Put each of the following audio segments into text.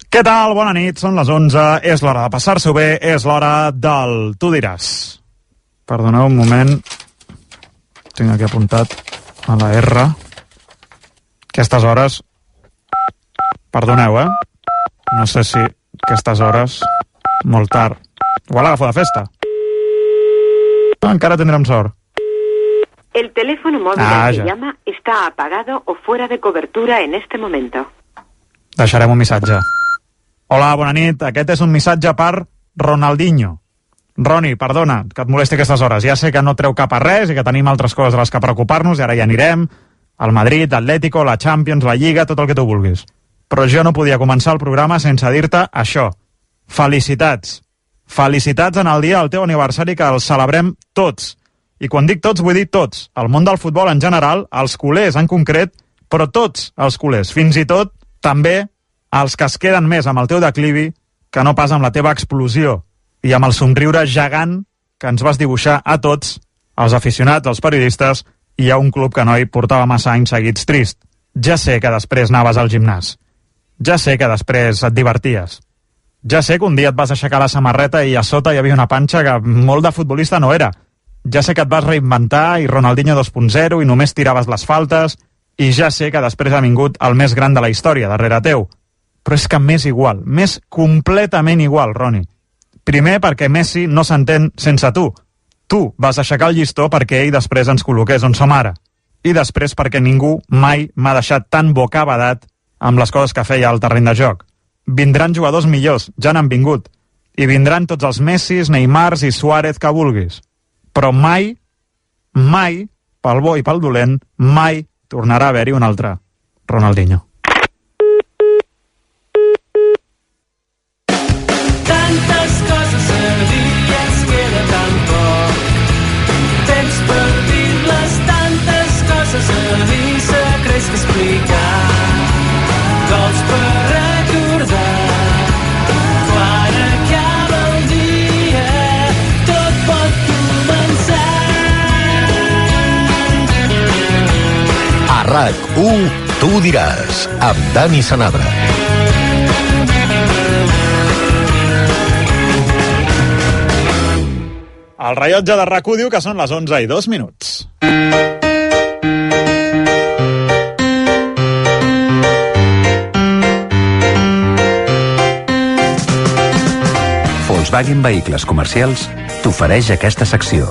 Què tal? Bona nit, són les 11, és l'hora de passar-s'ho bé, és l'hora del Tu diràs. Perdoneu un moment, tinc aquí apuntat a la R. Aquestes hores... Perdoneu, no sé si aquestes hores... Molt tard. Igual agafo de festa. Encara tindrem sort. El teléfono móvil al que llama está apagado o fuera de cobertura en este momento. Deixarem un missatge. Hola, bona nit. Aquest és un missatge per Ronaldinho. Roni, perdona que et molesti aquestes hores. Ja sé que no treu cap a res i que tenim altres coses de les que preocupar-nos i ara ja anirem al Madrid, Atlético, la Champions, la Lliga, tot el que tu vulguis. Però jo no podia començar el programa sense dir-te això. Felicitats. Felicitats en el dia del teu aniversari, que el celebrem tots. I quan dic tots, vull dir tots. El món del futbol en general, els culers en concret, però tots els culers. Fins i tot, també, els que es queden més amb el teu declivi que no pas amb la teva explosió i amb el somriure gegant que ens vas dibuixar a tots, els aficionats, els periodistes i a un club que no hi portava massa anys seguits trist. Ja sé que després anaves al gimnàs. Ja sé que després et diverties. Ja sé que un dia et vas aixecar la samarreta i a sota hi havia una panxa que molt de futbolista no era. Ja sé que et vas reinventar i Ronaldinho 2.0 i només tiraves les faltes, i ja sé que després ha vingut el més gran de la història darrere teu. Però és que m'és igual, m'és completament igual, Roni. Primer perquè Messi no s'entén sense tu. Tu vas aixecar el llistó perquè ell després ens col·loqués on som ara. I després perquè ningú mai m'ha deixat tan bocabadat amb les coses que feia al terreny de joc. Vindran jugadors millors, ja n'han vingut. I vindran tots els Messis, Neymars i Suárez que vulguis. Però mai, mai, pel bo i pel dolent, mai tornarà a haver-hi un altre Ronaldinho. Tantes coses a dir i ens queda tan poc. Temps per dir-les, tantes coses a dir, secrets que explicar, gols per recordar. Quan acaba el dia, tot pot començar. A RAC1, Tu diràs, amb Dani Sanabra. El rellotge de RAC1 diu que són les 11:02. Volkswagen Vehicles Comercials t'ofereix aquesta secció.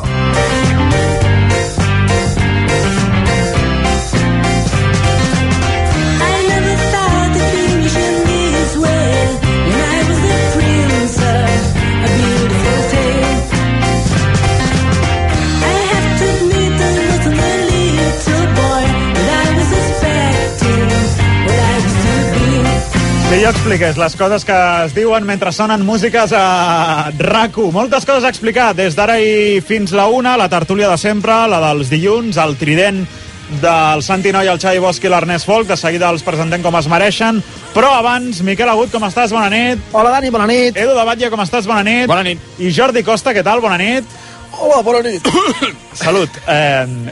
Si jo expliqués les coses que es diuen mentre sonen músiques a RAC1. Moltes coses a explicar, des d'ara i fins la 1, la tertúlia de sempre, la dels dilluns, el trident del Santi Noi, el Xavi Bosch i l'Ernest Folk. De seguida els presentem com es mereixen. Però abans, Miquel Agut, com estàs? Bona nit. Hola, Dani, bona nit. Edu de Batlle, com estàs? Bona nit. Bona nit. I Jordi Costa, què tal? Bona nit. Hola, bona nit. Salut.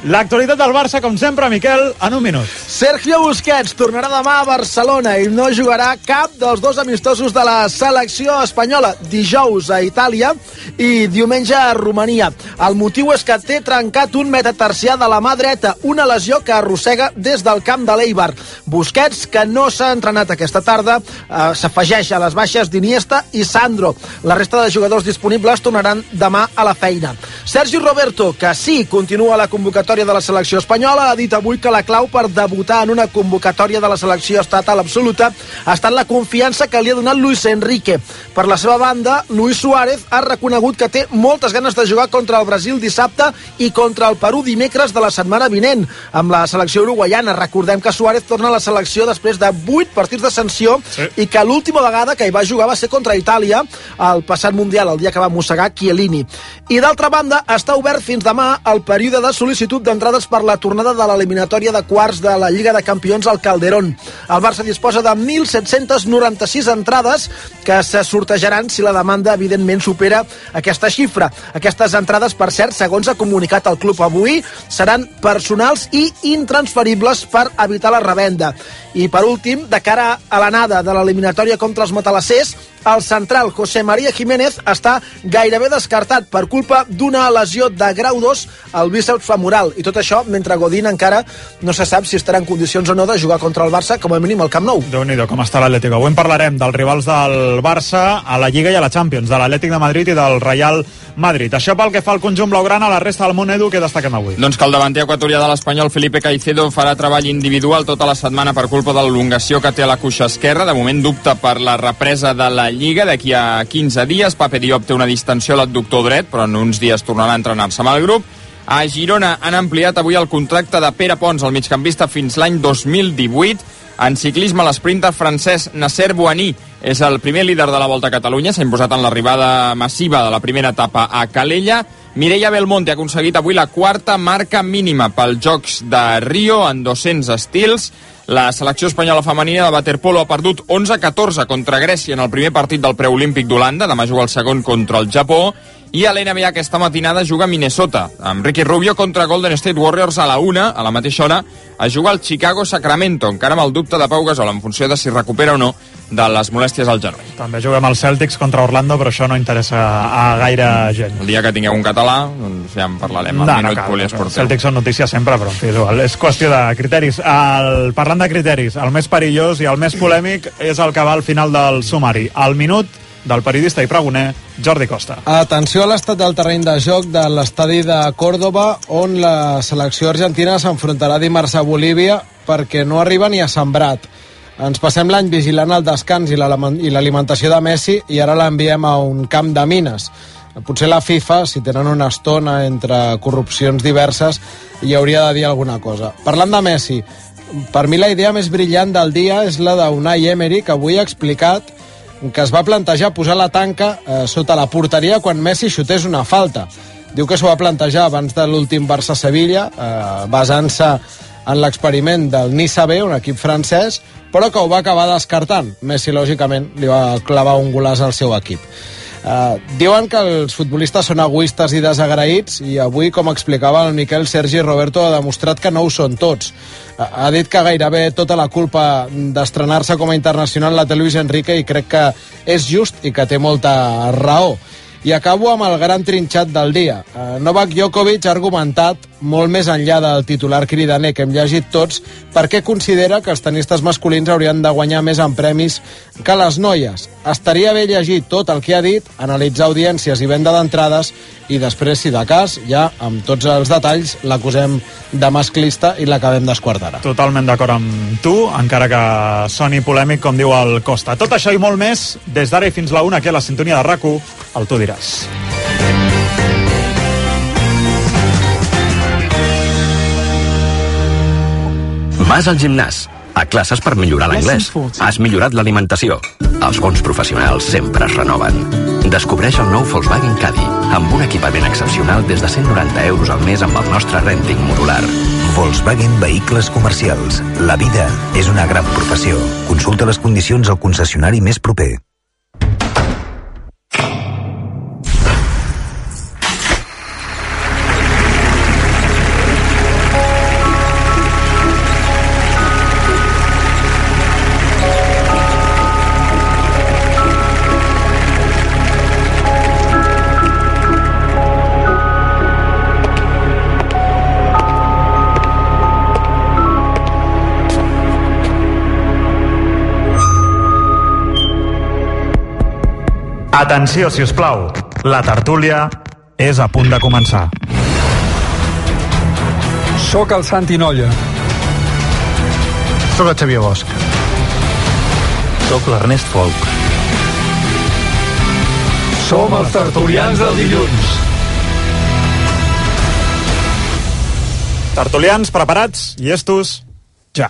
L'actualitat del Barça, com sempre, Miquel, en un minut. Sergio Busquets tornarà demà a Barcelona i no jugarà cap dels dos amistosos de la selecció espanyola. Dijous a Itàlia i diumenge a Romania. El motiu és que té trencat un metatarsià de la mà dreta, una lesió que arrossega des del camp de l'Eibar. Busquets, que no s'ha entrenat aquesta tarda, s'afegeix a les baixes d'Iniesta i Sandro. La resta de jugadors disponibles tornaran demà a la feina. Sergi Roberto, que sí continua a la convocatòria de la selecció espanyola, ha dit avui que la clau per debutar en una convocatòria de la selecció estatal absoluta ha estat la confiança que li ha donat Luis Enrique. Per la seva banda, Luis Suárez ha reconegut que té moltes ganes de jugar contra el Brasil dissabte i contra el Perú dimecres de la setmana vinent, amb la selecció uruguaiana. Recordem que Suárez torna a la selecció després de 8 partits de sanció i que l'última vegada que hi va jugar va ser contra Itàlia al passat Mundial, el dia que va mossegar Chiellini. I d'altra banda, banda, està obert fins demà el període de sol·licitud d'entrades per la tornada de l'eliminatòria de quarts de la Lliga de Campions al Calderón. El Barça disposa de 1.796 entrades que se sortejaran si la demanda, evidentment, supera aquesta xifra. Aquestes entrades, per cert, segons ha comunicat el club avui, seran personals i intransferibles per evitar la revenda. I, per últim, de cara a l'anada de l'eliminatòria contra els matalassers, el central José María Jiménez està gairebé descartat per culpa d'una lesió de grau 2 al bíceps femoral. I tot això mentre Godín encara no se sap si estarà en condicions o no de jugar contra el Barça, com a mínim al Camp Nou. Déu-n'hi-do, com està l'Atlético. Avui en parlarem dels rivals del Barça a la Lliga i a la Champions, de l'Atlètic de Madrid i del Real Madrid. Això pel que fa al conjunt blaugrana, a la resta del món, Edu, què destaquem avui? Doncs que el davanter equatorià de l'Espanyol, Felipe Caicedo, farà treball individual tota la setmana per culpa de l'elongació que té a la cuixa esquerra. De moment dubta per la represa de la Lliga d'aquí a 15 dies. Pape Diop té una distensió a l'adductor dret, però en uns dies tornarà a entrenar-se amb el grup. A Girona han ampliat avui el contracte de Pere Pons, el migcampista, fins l'any 2018. En ciclisme, l'esprinter francès Nasser Bouhanni és el primer líder de la Volta a Catalunya. S'ha imposat en l'arribada massiva de la primera etapa a Calella. Mireia Belmonte ha aconseguit avui la quarta marca mínima pels Jocs de Rio en 200 estils. La selecció espanyola femenina de waterpolo ha perdut 11-14 contra Grècia en el primer partit del preolímpic d'Holanda. Demà juga el segon contra el Japó. I a l'NBA aquesta matinada juga a Minnesota, amb Ricky Rubio contra Golden State Warriors a la 1, a la mateixa hora, a jugar al Chicago-Sacramento, encara amb el dubte de Pau Gasol en funció de si recupera o no de les molèsties al genoll. També juguem als Celtics contra Orlando, però això no interessa a gaire gent. El dia que tingueu un català, doncs ja en parlarem al Minut Poliesportiu. Celtics són notícia sempre, però en fi, és qüestió de criteris. Parlant de criteris, el més perillós i el més polèmic és el que va al final del sumari. El minut del periodista i pregoner Jordi Costa. Atenció a l'estat del terreny de joc de l'estadi de Córdoba, on la selecció argentina s'enfrontarà dimarts a Bolívia perquè no arriba ni a sembrat. Ens passem l'any vigilant el descans i l'alimentació de Messi i ara l'enviem a un camp de mines. Potser la FIFA, si tenen una estona entre corrupcions diverses, hi hauria de dir alguna cosa. Parlant de Messi, per mi la idea més brillant del dia és la d'Unai Emery, que avui ha explicat que es va plantejar posar la tanca sota la porteria quan Messi xutés una falta. Diu que s'ho va plantejar abans de l'últim Barça-Sevilla, basant-se en l'experiment del Nice B, un equip francès, però que ho va acabar descartant. Messi, lògicament, li va clavar un golàs al seu equip. Diuen que els futbolistes són egoistes i desagraïts i avui, com explicava el Miquel Sergi Roberto, ha demostrat que no ho són tots. Ha dit que gairebé tota la culpa d'estrenar-se com a internacional la té Luis Enrique i crec que és just i que té molta raó. I acabo amb el gran trinxat del dia. Novak Djokovic ha argumentat, molt més enllà del titular cridaner que hem llegit tots, per què considera que els tenistes masculins haurien de guanyar més en premis que les noies. Estaria bé llegir tot el que ha dit, analitzar audiències i venda d'entrades, i després, si de cas, ja amb tots els detalls, l'acusem de masclista i l'acabem d'esquartar. Totalment d'acord amb tu, encara que soni polèmic, com diu el Costa. Tot això i molt més, des d'ara i fins la 1, aquí a la sintonia de RAC1, el Tu diràs. Vas al gimnàs, a classes per millorar l'anglès. Has millorat l'alimentació. Els bons professionals sempre es renoven. Descobreix el nou Volkswagen Caddy, amb un equipament excepcional des de 190 euros al mes amb el nostre renting modular. Volkswagen Vehicles Comercials. La vida és una gran professió. Consulta les condicions al concessionari més proper. Atenció, si us plau, la tertúlia és a punt de començar. Soc el Santi Nolla. Soc el Xavier Bosch. Soc l'Ernest Folk. Som els tertulians del dilluns. Tertulians, preparats? Llestos? Ja.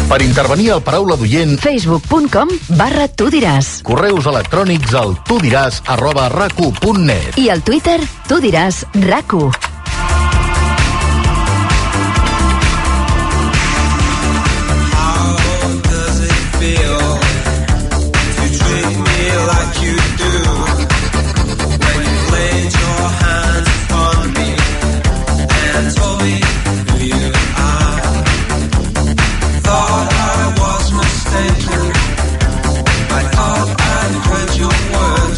Per intervenir al Paraula d'Oient, facebook.com/tu diràs. Correus electrònics al tudiràs@racu.net. I al Twitter, tu diràs RAC1.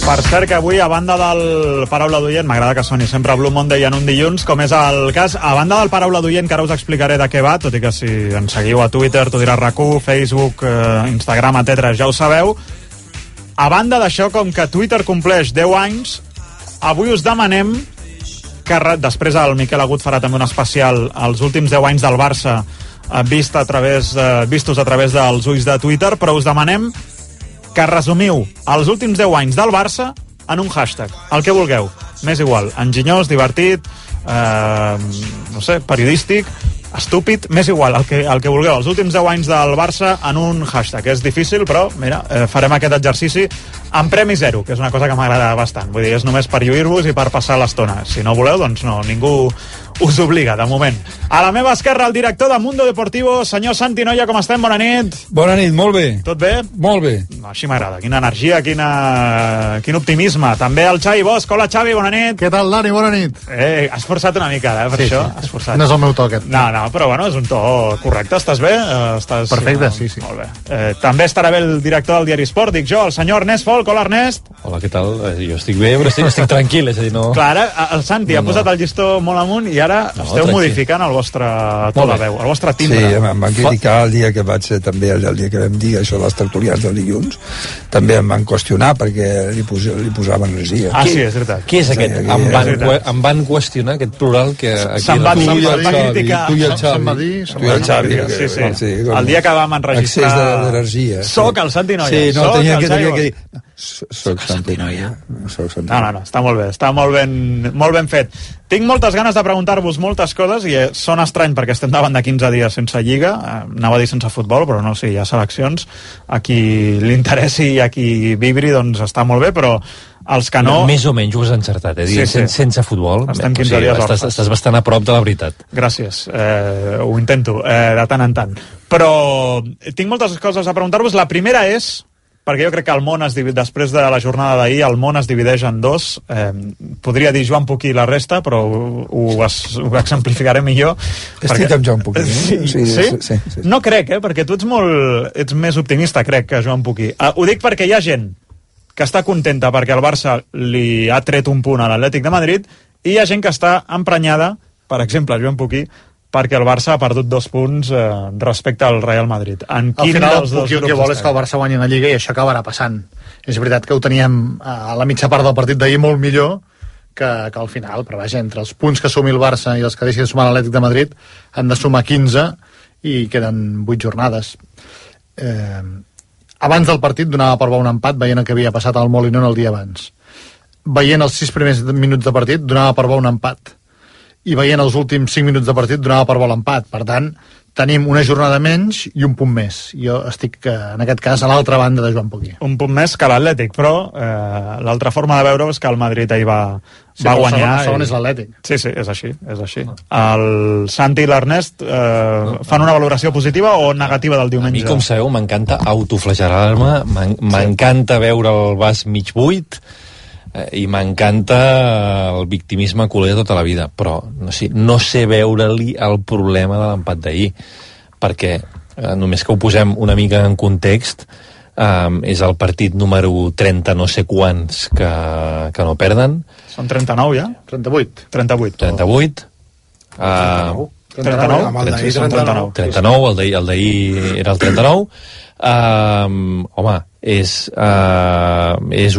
Per cert que avui, a banda del Paraula d'Oient, m'agrada que soni sempre Blue Monday en un dilluns, com és el cas, a banda del Paraula d'Oient, que ara us explicaré de què va, tot i que si ens seguiu a Twitter, tu diràs RAC1, Facebook, Instagram, etc., ja ho sabeu. A banda d'això, com que Twitter compleix 10 anys, avui us demanem que, després el Miquel Agut farà també un especial als últims 10 anys del Barça, vistos a través dels ulls de Twitter, però us demanem que resumiu els últims 10 anys del Barça en un hashtag, el que vulgueu. M'és igual, enginyós, divertit, no sé, periodístic, estúpid, m'és igual, el que vulgueu. Els últims 10 anys del Barça en un hashtag. És difícil, però, mira, farem aquest exercici amb premi zero, que és una cosa que m'agrada bastant. Vull dir, és només per lluir-vos i per passar l'estona. Si no voleu, doncs no, ningú us obliga, de moment. A la meva esquerra, el director de Mundo Deportivo, senyor Santi Noia, com estem? Bona nit. Bona nit, molt bé. Tot bé? Molt bé. No, així m'agrada. Quina energia, quin optimisme. També el Xavi Bosch. Hola, Xavi, bona nit. Què tal, Dani? Bona nit. Has forçat una mica, per això. Has forçat. No és el meu to, aquest. No, però bueno, és un to correcte. Estàs bé? Perfecte, sí. Molt bé. També estarà bé el director del Diari Esport, dic jo, el senyor Ernest Folk. Hola, Ernest. Hola, què tal? Jo estic bé, però estic tranquil, és a dir, no... Clar, ara el Santi ha posat el llistó molt amunt i ara esteu modificant el vostre to de veu, el vostre timbre. Sí, em van criticar el dia que vaig ser, també el dia que vam dir això dels tertulians del dilluns, també em van qüestionar perquè li posava energia. Ah, sí, és veritat. Què és aquest? Em van qüestionar aquest plural que... Se'n va criticar. Tu i el Xavi. Sí. El dia que vam enregistrar... Excés d'energia. Soc el Santi Noia. Sí, no, tenia que dir... Soc Santi Noia. No, està molt bé, està molt ben fet. Tinc moltes ganes de preguntar-vos moltes coses i són estrany perquè estem davant de 15 dies sense Lliga, anava a dir sense futbol, però no, sí, hi ha seleccions, a qui li interessi i a qui vibri, doncs està molt bé, però els que no... Més o menys ho has encertat, sí. Sense futbol. Estem 15 dies orfes. Estàs bastant a prop de la veritat. Gràcies, ho intento, de tant en tant. Però tinc moltes coses a preguntar-vos. La primera és, perquè jo crec que el món després de la jornada d'ahir, el món es divideix en dos. Podria dir Joan Puquí i la resta, però ho exemplificaré millor. Estic amb Joan Puquí. Sí? No crec, perquè tu ets més optimista, crec, que Joan Puquí. Ho dic perquè hi ha gent que està contenta perquè el Barça li ha tret un punt a l'Atlètic de Madrid i hi ha gent que està emprenyada, per exemple, Joan Puquí, perquè el Barça ha perdut 2 punts respecte al Real Madrid. Al final, el que vol és que el Barça guanyi la Lliga i això acabarà passant. És veritat que ho teníem a la mitja part del partit d'ahir molt millor que al final, però vaja, entre els punts que sumi el Barça i els que deixi de sumar l'Atlètic de Madrid han de sumar 15 i queden 8 jornades. Abans del partit donava per bo un empat, veient el que havia passat al Molinón el dia abans. Veient els 6 primers minuts de partit donava per bo un empat. I veient els últims 5 minuts de partit donava per bo l'empat. Per tant, tenim una jornada menys i un punt més. Jo estic, en aquest cas, a l'altra banda de Joan Puquí. Un punt més que l'Atlètic, però l'altra forma de veure és que el Madrid ahir va guanyar. El segon és l'Atlètic. Sí, és així. El Santi i l'Ernest fan una valoració positiva o negativa del diumenge? A mi, com sabeu, m'encanta autoflagelar-me, m'encanta veure el vas mig buit, i m'encanta el victimisme culer tota la vida, però no sé veure-li el problema de l'empat d'ahir, perquè només que ho posem una mica en context, és el partit número 30 no sé quants que no perden. Són 39 ja? 38. 39, el d'ahir era el 39. Home, és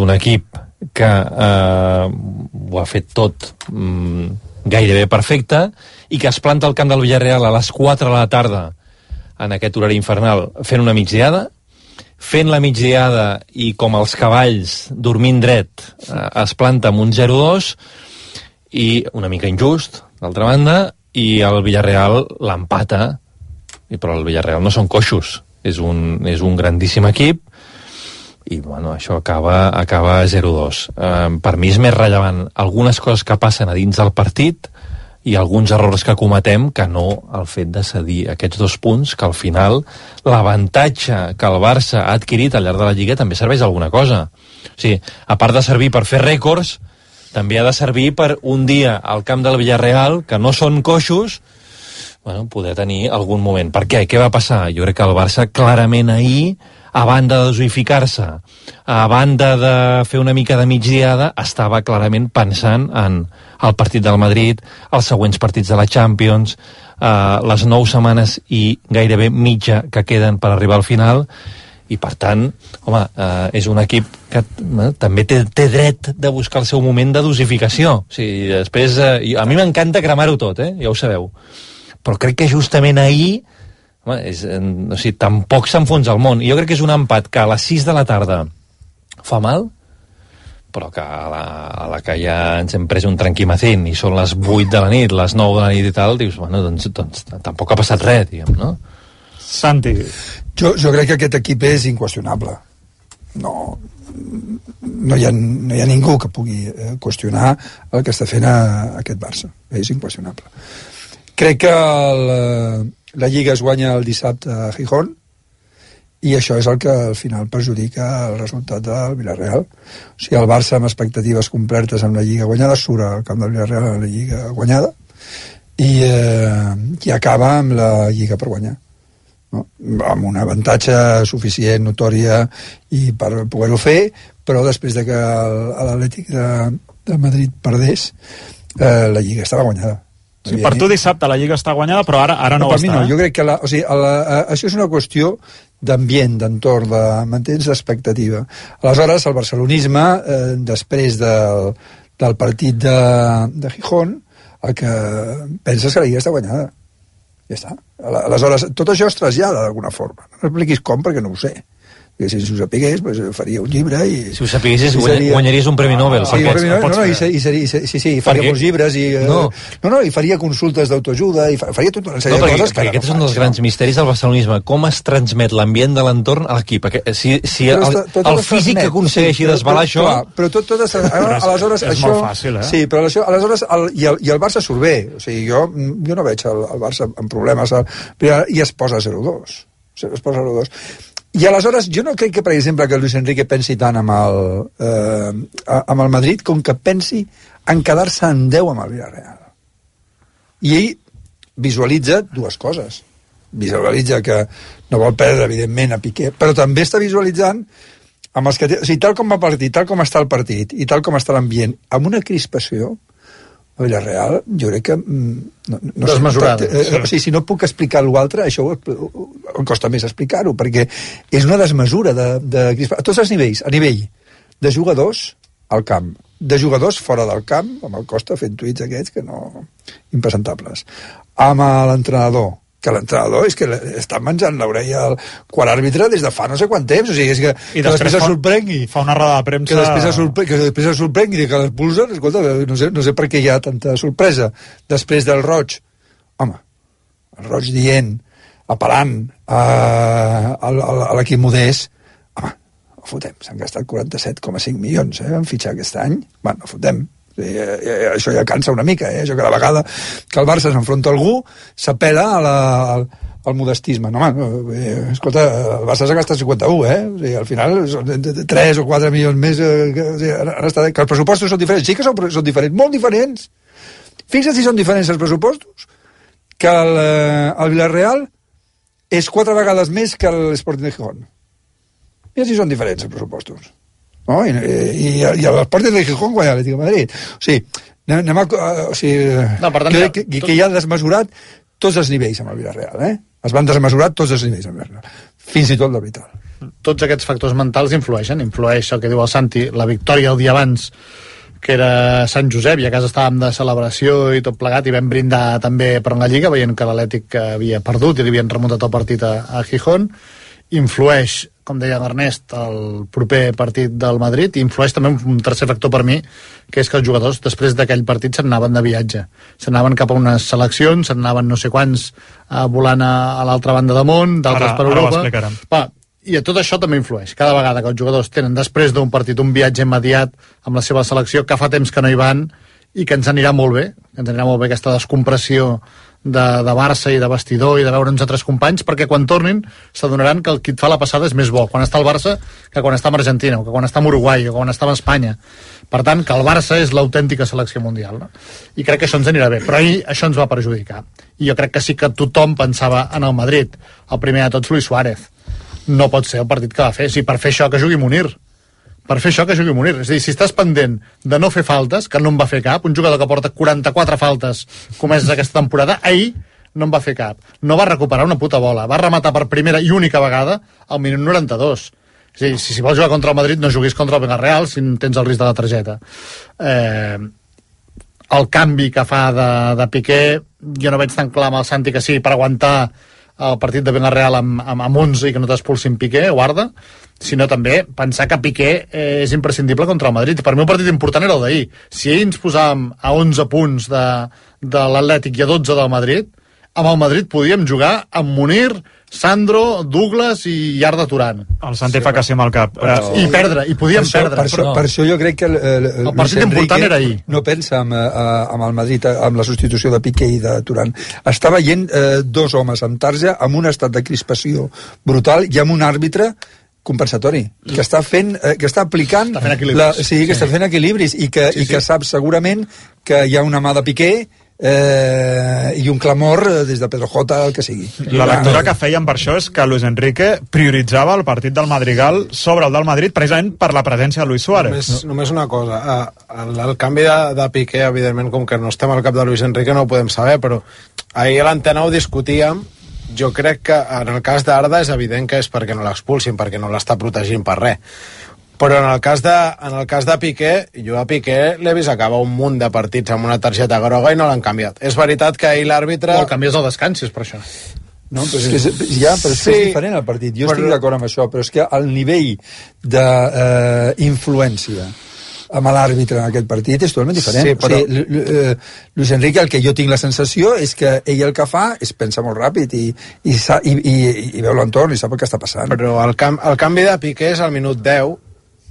un equip que ho ha fet tot gairebé perfecte i que es planta al camp del Villarreal a les 4 de la tarda en aquest horari infernal fent una migdiada, fent la migdiada i com els cavalls dormint dret es planta amb un 0-2 i una mica injust d'altra banda, i el Villarreal l'empata però el Villarreal no són coixos, és un grandíssim equip, i bueno, això acaba 0-2. Per mi és més rellevant algunes coses que passen a dins del partit i alguns errors que cometem que no el fet de cedir aquests 2 punts, que al final l'avantatge que el Barça ha adquirit al llarg de la Lliga també serveix alguna cosa. O sigui, a part de servir per fer rècords, també ha de servir per un dia al camp del Villarreal, que no són coixos, bueno, poder tenir algun moment. Per què? Què va passar? Jo crec que el Barça clarament ahir, a banda de dosificar-se, a banda de fer una mica de migdiada, estava clarament pensant en el partit del Madrid, els següents partits de la Champions, les 9 setmanes i gairebé mitja que queden per arribar al final, i per tant, home, és un equip que també té dret de buscar el seu moment de dosificació. O sigui, després, a mi m'encanta cremar-ho tot, ja ho sabeu. Però crec que justament ahir, home, o sigui, tampoc s'enfonsa el món. I jo crec que és un empat que a les 6 de la tarda fa mal, però que a la que ja ens hem pres un tranquimacín i són les 8 de la nit, les 9 de la nit i tal, dius, bueno, doncs tampoc ha passat res, diguem, no? Santi. Jo crec que aquest equip és inqüestionable. No hi ha ningú que pugui qüestionar el que està fent aquest Barça. És inqüestionable. Crec que la Lliga es guanya el dissabte a Gijón i això és el que al final perjudica el resultat del Villarreal. O sigui, el Barça amb expectatives complertes amb la Lliga guanyada surt al camp del Villarreal a la Lliga guanyada i acaba amb la Lliga per guanyar. No? Amb un avantatge suficient, notòria i per poder-ho fer, però després de que l'Atlètic de Madrid perdés, la Lliga estava guanyada. Sí, per tu dissabte la Lliga està guanyada, però ara no ho està. No, jo crec que això és una qüestió d'ambient, d'entorn, de mantens d'expectativa. Aleshores, el barcelonisme, després del partit de Gijón, el que penses que la Lliga està guanyada. Ja està. Aleshores, tot això es trasllada d'alguna forma. No expliquis com, perquè no ho sé. Perquè si ho sapigués, doncs faria un llibre i... Si ho sapiguessis, guanyaries un Premi Nobel. Sí, faria uns llibres i... No, i faria consultes d'autoajuda i faria tota una sèrie de coses que... Aquest és un dels grans misteris del barcelonisme. Com es transmet l'ambient de l'entorn a l'equip? Si el físic aconsegueixi desvelar això... Però tot aleshores... És molt fàcil, Sí, però aleshores... I el Barça surt bé. O sigui, jo no veig el Barça amb problemes i es posa 0-2. Es posa 0-2. I aleshores, jo no crec que, per exemple, que Luis Enrique pensi tant amb el Madrid com que pensi en quedar-se en 10 amb el Villarreal. I ell visualitza dues coses. Visualitza que no vol perdre, evidentment, a Piqué, però també està visualitzant amb els que o sigui, tal com va partir, tal com està el partit i tal com està l'ambient, amb una crispació a Villarreal, jo crec que no desmesurada. O sigui, si no puc explicar l'altre, això em costa més explicar-ho, perquè és una desmesura de a tots els nivells, a nivell de jugadors al camp, de jugadors fora del camp, amb el Costa fent tuits aquests que no... impresentables, amb l'entrenador, que l'entrenador és que està menjant l'orella al quart àrbitre des de fa no sé quant temps, o sigui, és que després es sorprengui, fa una roda de premsa que després es sorprengui que l'expulsen, escolta, no sé per què hi ha tanta sorpresa després del Roig, home, el Roig dient, apel·lant a l'equip modest, home, no fotem, s'han gastat 47,5 milions en fitxar aquest any, bueno, no fotem. Això ja cansa una mica, això cada vegada que el Barça s'enfronta a algú s'apel·la al modestisme. No, escolta, el Barça s'ha gastat 51, o sigui, al final són 3 o 4 milions més que els pressupostos són diferents, sí que són diferents, molt diferents. Fixa't si són diferents els pressupostos, que el Villarreal és 4 vegades més que l'Sporting de Gijón. Mira si són diferents els pressupostos. No? I l'Sporting de Gijón guanya l'Atlético de Madrid. O sigui, crec que hi ha desmesurat tots els nivells amb el Villarreal. Es van desmesurar tots els nivells amb el Villarreal. Fins i tot l'arbitral. Tots aquests factors mentals influeixen. Influeix el que diu el Santi, la victòria el dia abans, que era Sant Josep, i a casa estàvem de celebració i tot plegat, i vam brindar també per la Lliga, veient que l'Atlètic havia perdut i li havien remuntat el partit a Gijón. influeix, com deia l'Ernest, el proper partit del Madrid, i influeix també un tercer factor per mi, que és que els jugadors després d'aquell partit se'n anaven de viatge, se'n anaven cap a unes seleccions, se'n anaven no sé quants volant a l'altra banda de món, d'altres per Europa. I tot això també influeix. Cada vegada que els jugadors tenen després d'un partit un viatge immediat amb la seva selecció, que fa temps que no hi van, i que ens anirà molt bé, aquesta descompressió de Barça i de vestidor i de veure'ns altres companys, perquè quan tornin s'adonaran que el qui et fa la passada és més bo quan està al Barça que quan està amb Argentina o que quan està amb Uruguai o quan està amb Espanya. Per tant, que el Barça és l'autèntica selecció mundial, no? I crec que això ens anirà bé, però ahir això ens va perjudicar, i jo crec que sí que tothom pensava en el Madrid. El primer de tots, Luis Suárez. No pot ser el partit que va fer. Si per fer això que jugui Munir, és a dir, si estàs pendent de no fer faltes, que no en va fer cap, un jugador que porta 44 faltes comeses aquesta temporada, ahir no en va fer cap, no va recuperar una puta bola, va rematar per primera i única vegada al minut 92. És a dir, si vols jugar contra el Madrid no juguis contra el Villarreal si tens el risc de la targeta. El canvi que fa de Piqué, jo no veig tan clar amb el Santi que sigui per aguantar el partit de Villarreal amb 11 i que no t'expulsin Piqué o Arda, sinó també pensar que Piqué és imprescindible contra el Madrid. Per mi el partit important era el d'ahir. Si ahir ens posàvem a 11 punts de l'Atlètic i a 12 del Madrid, amb el Madrid podíem jugar amb Munir, Sandro, Douglas i Arda Turan. El Santi fa que sí amb el cap. I perdre, i podíem perdre. Per això jo crec que el partit important era ahir. No pensa amb el Madrid, amb la substitució de Piqué i de Turan. Està veient dos homes amb tarja, amb un estat de crispació brutal i amb un àrbitre compensatori, que està aplicant està fent equilibris i que sap segurament que hi ha una mà de Piqué i un clamor des de Pedro Jota, el que sigui. La lectura que fèiem per això és que Luis Enrique prioritzava el partit del Madrigal sobre el del Madrid precisament per la presència de Luis Suárez. Només una cosa, el canvi de Piqué, evidentment, com que no estem al cap de Luis Enrique no ho podem saber, però ahir a l'Antena ho discutíem. Jo crec que en el cas d'Arda és evident que és perquè no l'expulsin, perquè no l'està protegint per res. Però en el cas de Piqué, jo a Piqué l'he vist acabar un munt de partits amb una targeta groga i no l'han canviat. És veritat que ahir l'àrbitre... O el canvies al descans, és per això. No, però és diferent el partit. Jo estic d'acord amb això, però és que el nivell d'influència amb l'àrbitre en aquest partit és totalment diferent. Sí, però... Luis Enrique, el que jo tinc la sensació és que ell el que fa és pensar molt ràpid i veu l'entorn i sap el que està passant. Però el canvi de Piqué és al minut 10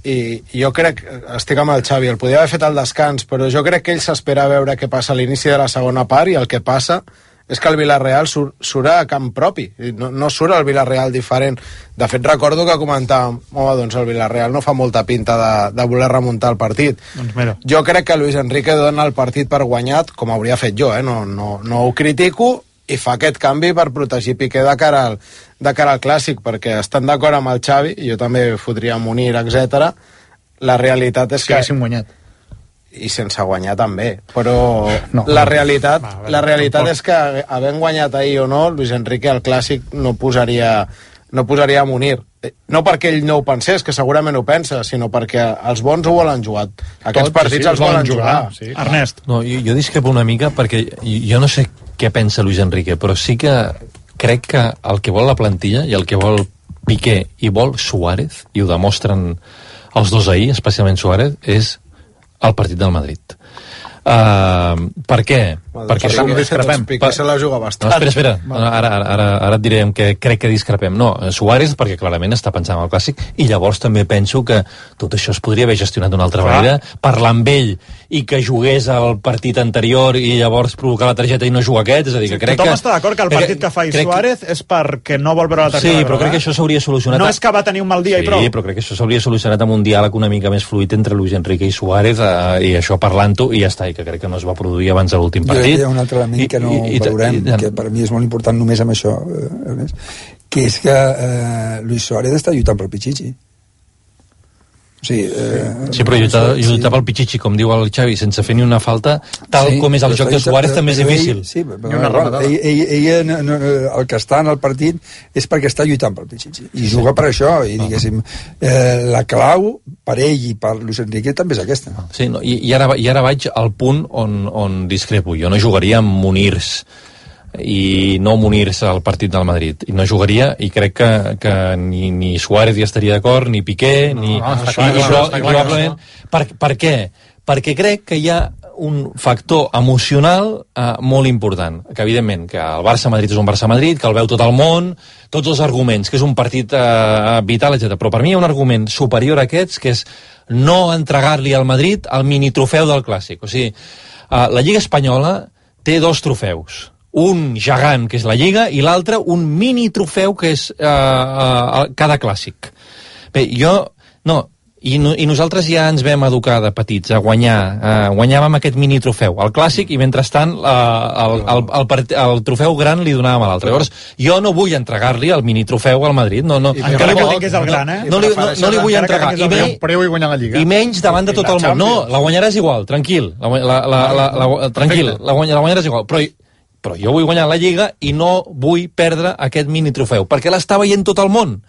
i jo crec, estic amb el Xavi, el podia haver fet al descans, però jo crec que ell s'espera a veure què passa a l'inici de la segona part i el que passa és que el Villarreal surt a camp propi, no surt el Villarreal diferent. De fet, recordo que comentàvem, doncs el Villarreal no fa molta pinta de voler remuntar el partit. Doncs mira. Jo crec que Luis Enrique dona el partit per guanyat, com hauria fet jo, no ho critico, i fa aquest canvi per protegir Piqué de cara al Clàssic, perquè estan d'acord amb el Xavi, i jo també fotria Munir, etc. La realitat és que... haguéssim guanyat. I sense guanyar també, però la realitat és que havent guanyat ahir o no, Luis Enrique al Clàssic no posaria a Munir, no perquè ell no ho pensés, que segurament ho pensa, sinó perquè els bons ho volen jugar, aquests partits els volen jugar. Sí. Ernest. No, jo discrepo una mica perquè jo no sé què pensa Luis Enrique, però sí que crec que el que vol la plantilla i el que vol Piqué i vol Suárez, i ho demostren els dos ahir, especialment Suárez, és el partit del Madrid. Per què? Perquè discrepem. Piqué se la juga bastant. No, espera. Ara et diré que crec que discrepem. No, Suárez perquè clarament està pensant en el Clàssic i llavors també penso que tot això es podria haver gestionat d'una altra manera, parlar amb ell i que jugués al partit anterior i llavors provocar la targeta i no jugar aquest, és a dir, que crec que... Tothom està d'acord que el partit que fa Suárez és perquè no vol veure la targeta. Sí, però crec que això s'hauria solucionat... No és que va tenir un mal dia i prou. Sí, però crec que això s'hauria solucionat amb un diàleg una mica més fluid entre Luis Enrique i Suárez i això parlant-ho i ja està, i que crec que no es va produir abans de l'últim partit. Hi ha un altre element que no valorem, que per mi és molt important només amb això, Ernest, que és que Luis Suárez està lluitant pel Pichichi. Sí, però lluitar pel Pichichi, com diu el Xavi, sense fer ni una falta, tal com és el joc de Suárez també és difícil. Sí, però ell el que està en el partit és perquè està lluitant pel Pichichi i juga per això, i diguéssim la clau per ell i per Luis Enrique també és aquesta. Sí, i ara vaig al punt on discrepo. Jo no jugaria amb Munirs i no munir-se al partit del Madrid, i no jugaria, i crec que ni Suárez hi estaria d'acord, ni Piqué, probablement. Per què? Perquè crec que hi ha un factor emocional molt important, que evidentment que el Barça-Madrid és un Barça-Madrid, que el veu tot el món, tots els arguments, que és un partit vital, etc. Però per mi hi ha un argument superior a aquests, que és no entregar-li al Madrid el mini-trofeu del Clàssic. O sigui, la Lliga Espanyola té 2 trofeus, un gegant, que és la Lliga, i l'altre un mini-trofeu, que és cada Clàssic. Bé, I nosaltres ja ens vam educar de petits a guanyar, guanyàvem aquest mini-trofeu, el Clàssic, i mentrestant el trofeu gran li donàvem a l'altre. Llavors, jo no vull entregar-li el mini-trofeu al Madrid, no li vull entregar, i menys davant de tot el món. No, la guanyaràs igual, tranquil, la guanyaràs igual, però jo vull guanyar la Lliga i no vull perdre aquest mini-trofeu, perquè l'està veient tot el món.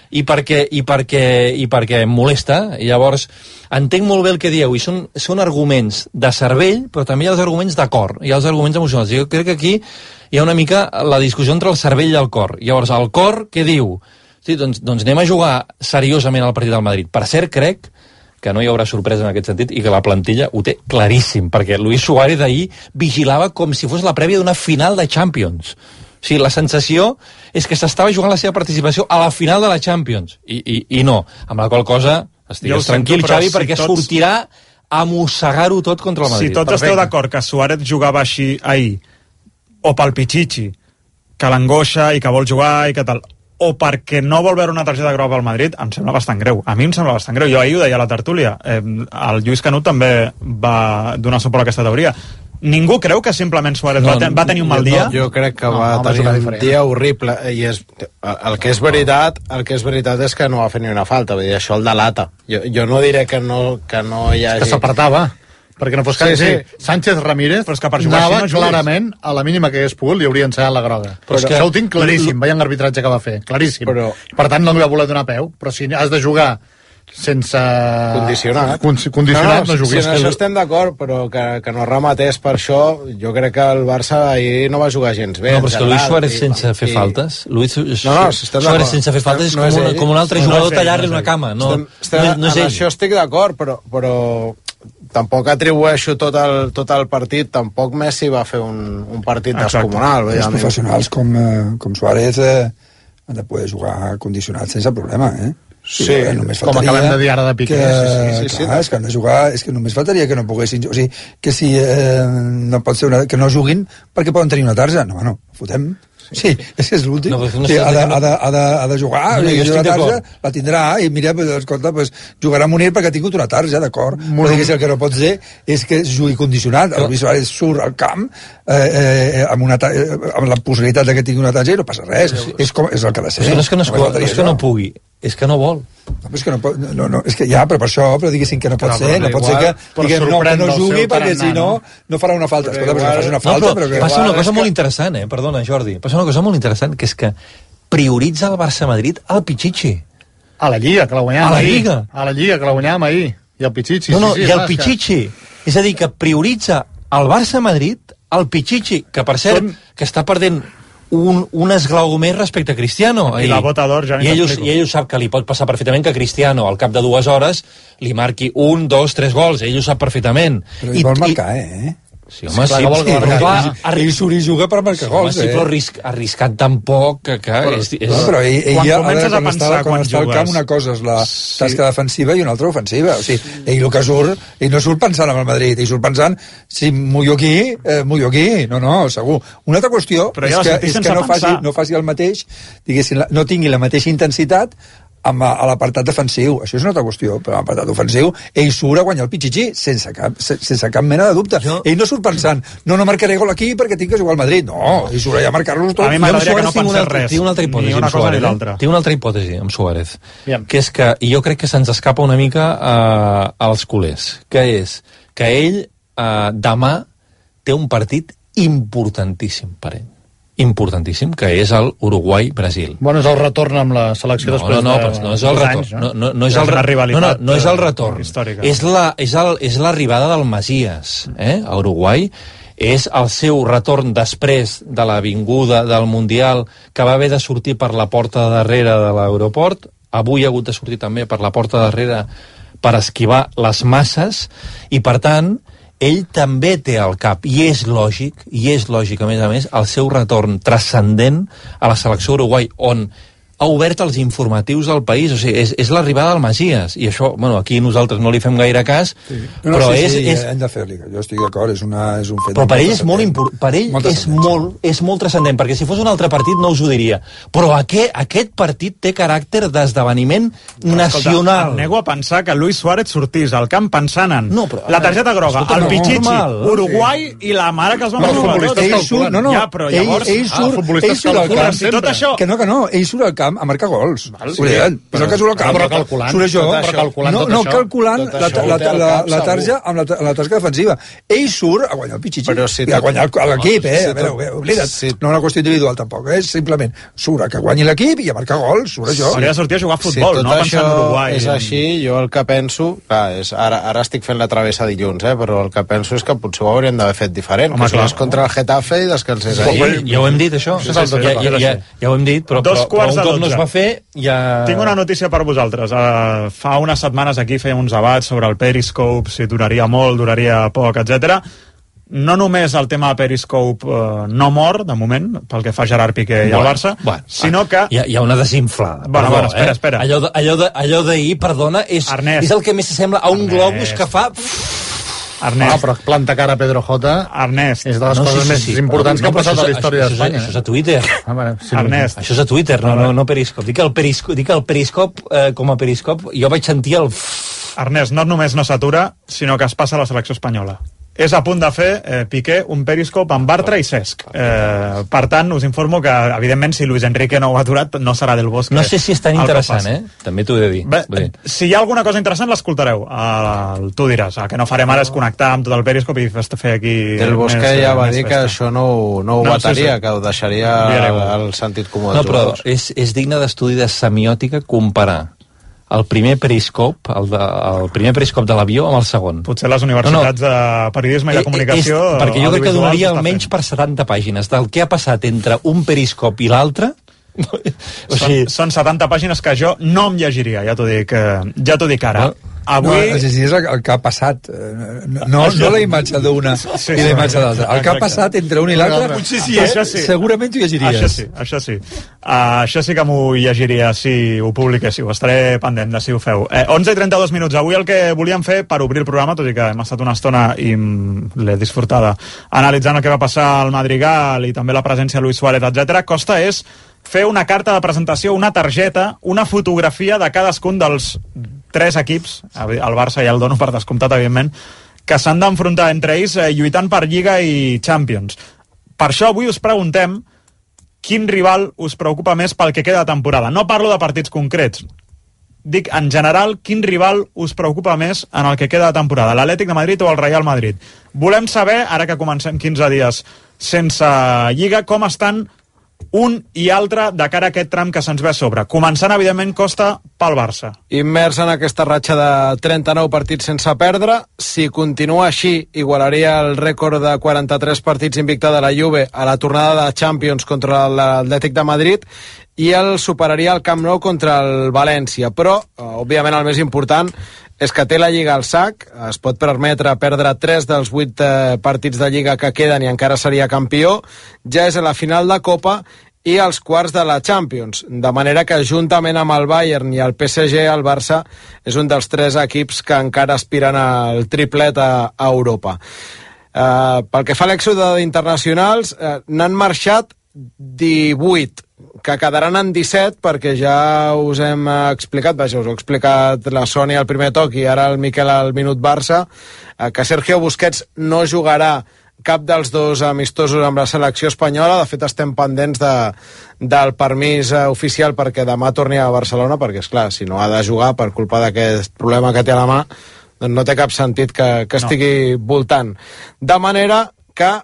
I perquè em molesta, i llavors entenc molt bé el que dieu, i són arguments de cervell, però també hi ha els arguments de cor, hi ha els arguments emocionals. Jo crec que aquí hi ha una mica la discussió entre el cervell i el cor. Llavors, el cor, què diu? Sí, doncs anem a jugar seriosament al partit del Madrid. Per cert, crec que no hi haurà sorpresa en aquest sentit i que la plantilla ho té claríssim, perquè Luis Suárez ahir vigilava com si fos la prèvia d'una final de Champions. O sigui, la sensació és que s'estava jugant la seva participació a la final de la Champions, i no, amb la qual cosa estigues tranquil, Xavi, perquè sortirà a mossegar-ho tot contra el Madrid. Si tots esteu d'acord que Suárez jugava així ahir, o pel Pichichi, que l'angoixa i que vol jugar i que tal, o perquè no vol veure una targeta groga al Madrid, em sembla bastant greu. A mi em sembla bastant greu. Jo ahir ho deia a la tertúlia. El Lluís Canut també va donar suport a aquesta teoria. Ningú creu que simplement Suárez va tenir un mal dia? Jo crec que va tenir un dia horrible, i el que és veritat és que no va fer ni una falta, vull dir, això el delata. Jo no diré que no hi hagi... Que s'apartava, perquè no fos cas. Sí. Sánchez Ramírez anava clarament, a la mínima que hagués pogut, li hauria ensenyat la groga. Però això ho tinc claríssim, veient l'arbitratge que va fer, claríssim. Per tant, no li va voler donar peu, però si has de jugar sense... Condicionat, no juguis. En això estem d'acord, però que no rematés per això. Jo crec que el Barça ahir no va jugar gens bé. No, però és que Luis Suárez sense fer faltes, Suárez sense fer faltes és com un altre jugador tallar-li una cama. No és ell. En això estic d'acord, però tampoc atribueixo tot el partit. Tampoc Messi va fer un partit descomunal. Els professionals com Suárez han de poder jugar condicionats sense problema, Sí, com acabem de dir ara de Piqué. És que han de jugar, és que només faltaria que no poguessin... O sigui, que si no pot ser que no juguin perquè poden tenir una tarja. No, fotem. Sí, és l'últim. Ha de jugar, la tarja la tindrà, i mira, escolta, jugarà a Munir perquè ha tingut una tarja, d'acord? Però el que no pot ser és que jugui condicionat. El Luis Suárez surt al camp amb la possibilitat que tingui una tarja i no passa res. És el que ha de ser. No és que no pugui, és que no vol. És que no, és que ja, però per això, però diguéssim que no pot ser, no pot ser que no jugui perquè si no farà una falta. Escolta, però no faci una falta. Passa una cosa molt interessant, perdona, Jordi, passa una cosa molt interessant, que és que prioritza el Barça-Madrid al Pichichi. A la Lliga, que la guanyàvem ahir. A la Lliga, que la guanyàvem ahir. I el Pichichi. I el Pichichi. És a dir, que prioritza el Barça-Madrid al Pichichi, que per cert, que està perdent un esglaó més respecte a Cristiano. I la bota d'or ja i ell ho sap, que li pot passar perfectament que Cristiano al cap de 2 hores li marqui 1, 2, 3 gols. Ell ho sap perfectament. Però ell vol marcar, Sí, home, ell surt i juga per marcar gols, sí, però arriscat tampoc que però ell comences a pensar quan està al camp, una cosa és la tasca defensiva i una altra ofensiva. O sigui, ell el que surt, ell no surt pensant en el Madrid, ell surt pensant si mullo aquí, no, segur. Una altra qüestió és que no faci el mateix, diguéssim, no tingui la mateixa intensitat a l'apartat defensiu. Això és una altra qüestió, però a l'apartat ofensiu ell surt a guanyar el Pichichi sense cap mena de dubte. Ell no surt pensant no marcaré gol aquí perquè tinc que jugar al Madrid. No, ell surt allà a marcar-los tots. A mi m'agradaria que no pensés res. Tinc una altra hipòtesi amb Suárez. Tinc una altra hipòtesi amb Suárez, que és que, i jo crec que se'ns escapa una mica als culers, que és que ell demà té un partit importantíssim per ell. Importantíssim, que és el Uruguai-Brasil. Bueno, és el retorn amb la selecció després no és el retorn. No és el retorn. És l'arribada del Messias a Uruguai, és el seu retorn després de l'avinguda del Mundial, que va haver de sortir per la porta de darrere de l'aeroport. Avui ha hagut de sortir també per la porta de darrere per esquivar les masses, i per tant ell també té al cap, i és lògic a més, el seu retorn transcendent a la selecció Uruguai, on ha obert els informatius del país. O sigui, és l'arribada del Messias, i això, bueno, aquí nosaltres no li fem gaire cas, sí. Però hem de fer-li, jo estic d'acord, és un fet. Però per ell és molt important, per ell és molt transcendent, perquè si fos un altre partit no us ho diria, però aquest partit té caràcter d'esdeveniment nacional. Em nego a pensar que Luis Suárez sortís al camp pensant en la targeta groga, el Pichichi, Uruguai i la mare que els va matar tots. Ell surt al camp, tot això... Que no, ell surt al camp a marcar gols. Però que surt al camp. Surt això. No calculant la tarja amb la tasca defensiva. Ell surt a guanyar el Pichichi. I a guanyar l'equip, oblida't. No una qüestió individual, tampoc. És simplement surt a que guanyi l'equip i a marcar gols. Surt això. Hauria de sortir a jugar a futbol, no pensar en Uruguai. És així, jo el que penso... Ara estic fent la travessa dilluns, però el que penso és que potser ho hauríem d'haver fet diferent. Que és contra el Getafe i descansés ahir. Ja ho hem dit, això. Ja ho hem dit, però un cop no es va fer, ja... Tinc una notícia per vosaltres. Fa unes setmanes aquí fèiem uns debats sobre el Periscope, si duraria molt, duraria poc, etc. No només el tema de Periscope no mor, de moment, pel que fa Gerard Piqué i el Barça, sinó que... Hi ha una desinflada. Bueno, espera. Allò d'ahir, perdona, és el que més s'assembla a un globus que fa... Ernest. Però planta cara a Pedro J. Ernest. És de les coses més importants que ha passat a la història d'Espanya. Això és a Twitter. Ernest. Això és a Twitter, no Periscope. Dic el Periscope com a Periscope. Jo vaig sentir el... Ernest, no només no s'atura, sinó que es passa a la selecció espanyola. És a punt de fer Piqué un Periscope amb Bartra i Cesc. Per tant, us informo que, evidentment, si Luis Enrique no ho ha aturat, no serà del Bosque. No sé si és tan interessant, També t'ho he de dir. Bé, si hi ha alguna cosa interessant, l'escoltareu. Tu diràs. El que no farem ara és connectar amb tot el Periscope i fer aquí... Del Bosque ja va dir que això no ho bataria, que ho deixaria al sentit comú dels jugadors. No, però és digne d'estudi de semiòtica comparar el primer periscope, el primer periscope de l'avió amb el segon. Potser les universitats de periodisme i de comunicació... Perquè jo crec que donaria almenys per 70 pàgines del que ha passat entre un periscope i l'altre. Són 70 pàgines que jo no em llegiria, ja t'ho dic ara. Avui... és el que ha passat, no la imatge d'una i la imatge d'altra. El que ha passat entre un i l'altre, segurament t'ho llegiries. Això sí. Això sí que m'ho llegiria si ho publiquéssiu. Estaré pendent de si ho feu. 11:32 minuts. Avui el que volíem fer per obrir el programa, tot i que hem estat una estona i l'he disfrutada analitzant el que va passar al Madrigal i també la presència de Luis Suárez, etc. Costa és fer una carta de presentació, una targeta, una fotografia de cadascun dels 3 equips, el Barça ja el dono per descomptat, evidentment, que s'han d'enfrontar entre ells lluitant per Lliga i Champions. Per això avui us preguntem quin rival us preocupa més pel que queda de temporada. No parlo de partits concrets. Dic, en general, quin rival us preocupa més en el que queda de temporada, l'Atlètic de Madrid o el Real Madrid? Volem saber, ara que comencem 15 dies sense Lliga, com estan un i altre de cara a aquest tram que se'ns ve a sobre. Començant, evidentment, Costa pel Barça. Immers en aquesta ratxa de 39 partits sense perdre. Si continua així, igualaria el rècord de 43 partits invicta de la Juve a la tornada de Champions contra l'Atlètic de Madrid i el superaria al Camp Nou contra el València. Però, òbviament, el més important és que té la Lliga al sac, es pot permetre perdre 3 dels 8 partits de Lliga que queden i encara seria campió, ja és a la final de Copa i als quarts de la Champions, de manera que juntament amb el Bayern i el PSG, el Barça és un dels 3 equips que encara aspiren al triplet a Europa. Pel que fa a l'èxode d'internacionals, n'han marxat 18, que quedaran en 17 perquè ja us hem explicat, us ho ha explicat la Sònia al primer toc i ara el Miquel al minut Barça, que Sergio Busquets no jugarà cap dels 2 amistosos amb la selecció espanyola. De fet, estem pendents del permís oficial perquè demà torni a Barcelona, perquè, esclar, si no ha de jugar per culpa d'aquest problema que té a la mà, doncs no té cap sentit que estigui voltant. De manera que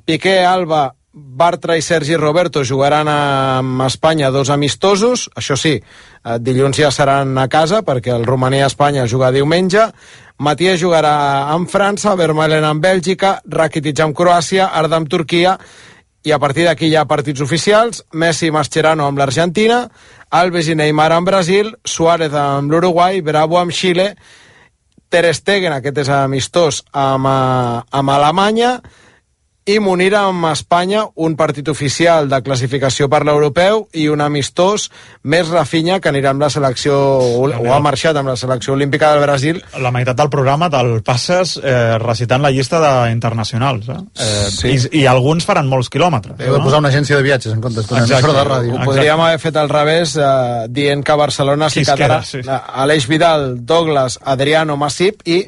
Piqué, Alba, Bartra i Sergi Roberto jugaran amb Espanya 2 amistosos, això sí, dilluns ja seran a casa perquè el Romania-Espanya juga diumenge. Matías jugarà amb França, Vermaelen amb Bèlgica, Rakitic amb Croàcia, Arda amb Turquia, i a partir d'aquí hi ha partits oficials: Messi i Mascherano amb l'Argentina, Alves i Neymar amb Brasil, Suárez amb l'Uruguai, Bravo amb Xile, Ter Stegen, aquest és amistós, amb Alemanya, i Munir amb Espanya, un partit oficial de classificació per l'europeu i un amistós, més Rafinha, que anirà amb la selecció, o ha marxat amb la selecció olímpica del Brasil. La meitat del programa te'l passes recitant la llista d'internacionals, sí. I alguns faran molts quilòmetres. Heu de posar una agència de viatges en comptes d'una emissora de ràdio. Ho podríem haver fet al revés, dient que a Barcelona s'hi quedarà Aleix Vidal, Douglas, Adriano, Masip i...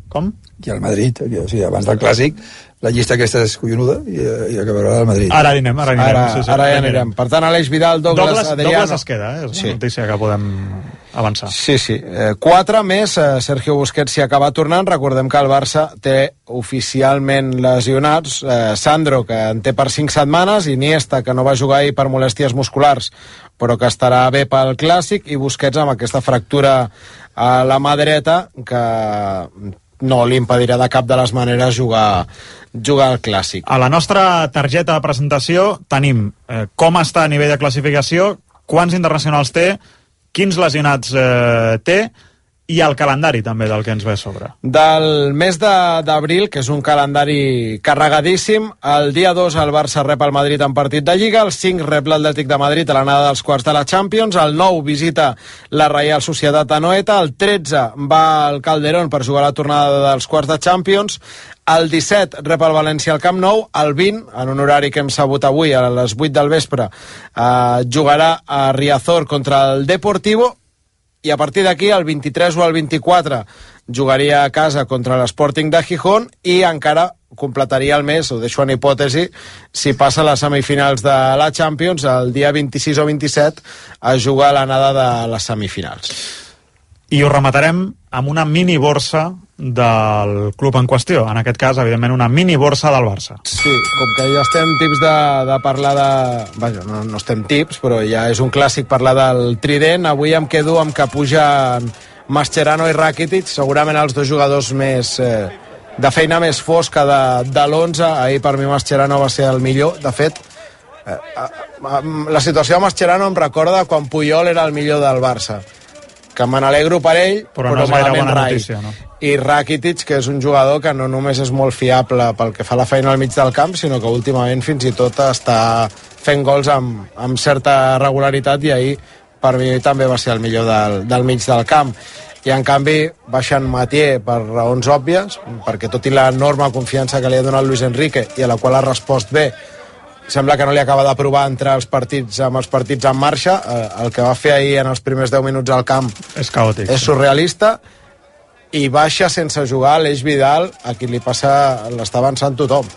Com? I el Madrid, o sigui, abans del Clàssic, la llista aquesta és collonuda i acabarà al Madrid. Ara anirem. Ara ja anirem. Per tant, Aleix Vidal, Douglas, Adriano... Douglas es queda, és una notícia que podem avançar. Sí. 4 més, Sergio Busquets s'hi acaba tornant. Recordem que el Barça té oficialment lesionats Sandro, que en té per 5 setmanes, Iniesta, que no va jugar ahir per molèsties musculars, però que estarà bé pel Clàssic, i Busquets amb aquesta fractura a la mà dreta, que no li impedirà de cap de les maneres jugar al Clàssic. A la nostra targeta de presentació tenim com està a nivell de classificació, quants internacionals té, quins lesionats té, i el calendari també del que ens ve a sobre. Del mes d'abril, que és un calendari carregadíssim, el dia 2 el Barça rep el Madrid en partit de Lliga, el 5 rep l'Atlètic de Madrid a l'anada dels quarts de la Champions, el 9 visita la Reial Societat a Noeta, el 13 va al Calderón per jugar la tornada dels quarts de Champions, el 17 rep el València al Camp Nou, el 20, en un horari que hem sabut avui a les 8 del vespre, jugarà a Riazor contra el Deportivo, i a partir d'aquí, el 23 o el 24, jugaria a casa contra l'Sporting de Gijón i encara completaria el mes, ho deixo en hipòtesi, si passa a les semifinals de la Champions, el dia 26 o 27 a jugar a l'anada de les semifinals. I ho rematarem amb una mini borsa del club en qüestió, en aquest cas, evidentment, una mini borsa del Barça. Sí, com que ja estem tips de parlar de... Vaja, no estem tips, però ja és un clàssic parlar del trident. Avui em quedo amb que pugen Mascherano i Rakitic, segurament els dos jugadors més... de feina més fosca de l'11. Ahir per mi Mascherano va ser el millor. De fet, la situació de Mascherano em recorda quan Puyol era el millor del Barça, que me n'alegro per ell, però no és gaire bona rai. notícia, no? I Rakitic, que és un jugador que no només és molt fiable pel que fa la feina al mig del camp, sinó que últimament fins i tot està fent gols amb certa regularitat, i ahir per mi també va ser el millor del mig del camp. I en canvi baixen Mathieu per raons òbvies, perquè tot i l'enorme confiança que li ha donat Luis Enrique i a la qual ha respost bé, sembla que no li acaba de provar entre els partits en marxa. El que va fer ahir en els primers 10 minuts al camp és caòtic, és surrealista. I baixa sense jugar Aleix Vidal, a qui li passa, l'està avançant tothom.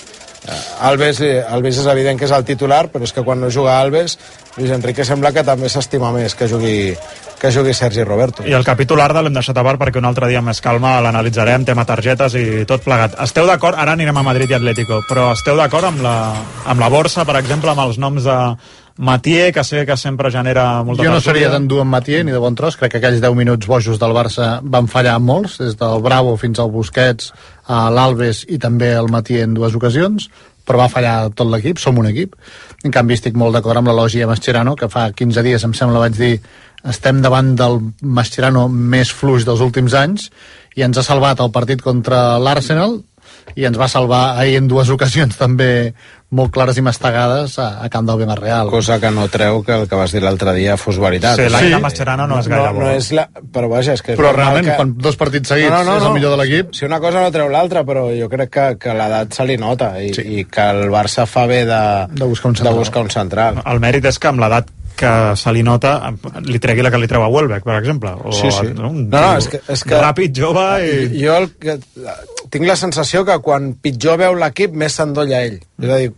Alves és evident que és el titular, però és que quan no juga Alves, Luis Enrique sembla que també s'estima més que jugui Sergi Roberto. I el capítol Arda l'hem deixat a part perquè un altre dia amb més calma l'analitzarem, tema targetes i tot plegat. Esteu d'acord? Ara anirem a Madrid i Atlético, però esteu d'acord amb la borsa, per exemple, amb els noms de Mathieu, que sé que sempre genera molta... Jo no seria tan dur amb Mathieu ni de bon tros. Crec que aquells 10 minuts bojos del Barça van fallar molts, des del Bravo fins al Busquets, a l'Alves i també el Mathieu en 2 ocasions, però va fallar tot l'equip, som un equip. En canvi estic molt d'acord amb l'elogi a Mascherano, que fa 15 dies, em sembla, vaig dir, estem davant del Mascherano més fluix dels últims anys, i ens ha salvat el partit contra l'Arsenal, i ens va salvar ahir en 2 ocasions també molt clares i mastegades a camp del Villarreal. Cosa que no treu que el que vas dir l'altre dia fos veritat. Sí, l'any de Mascherano no és gaire bo. No és però vaja, és que... Però realment, quan 2 partits seguits és el millor de l'equip... Si una cosa no treu l'altra, però jo crec que l'edat se li nota i que el Barça fa bé de buscar un central. El mèrit és que amb l'edat que se li nota, li tregui la que li treu a Welbeck, per exemple. O, sí. És que ràpid, jove... I... Jo tinc la sensació que quan pitjor veu l'equip, més s'endolla ell. És a dir,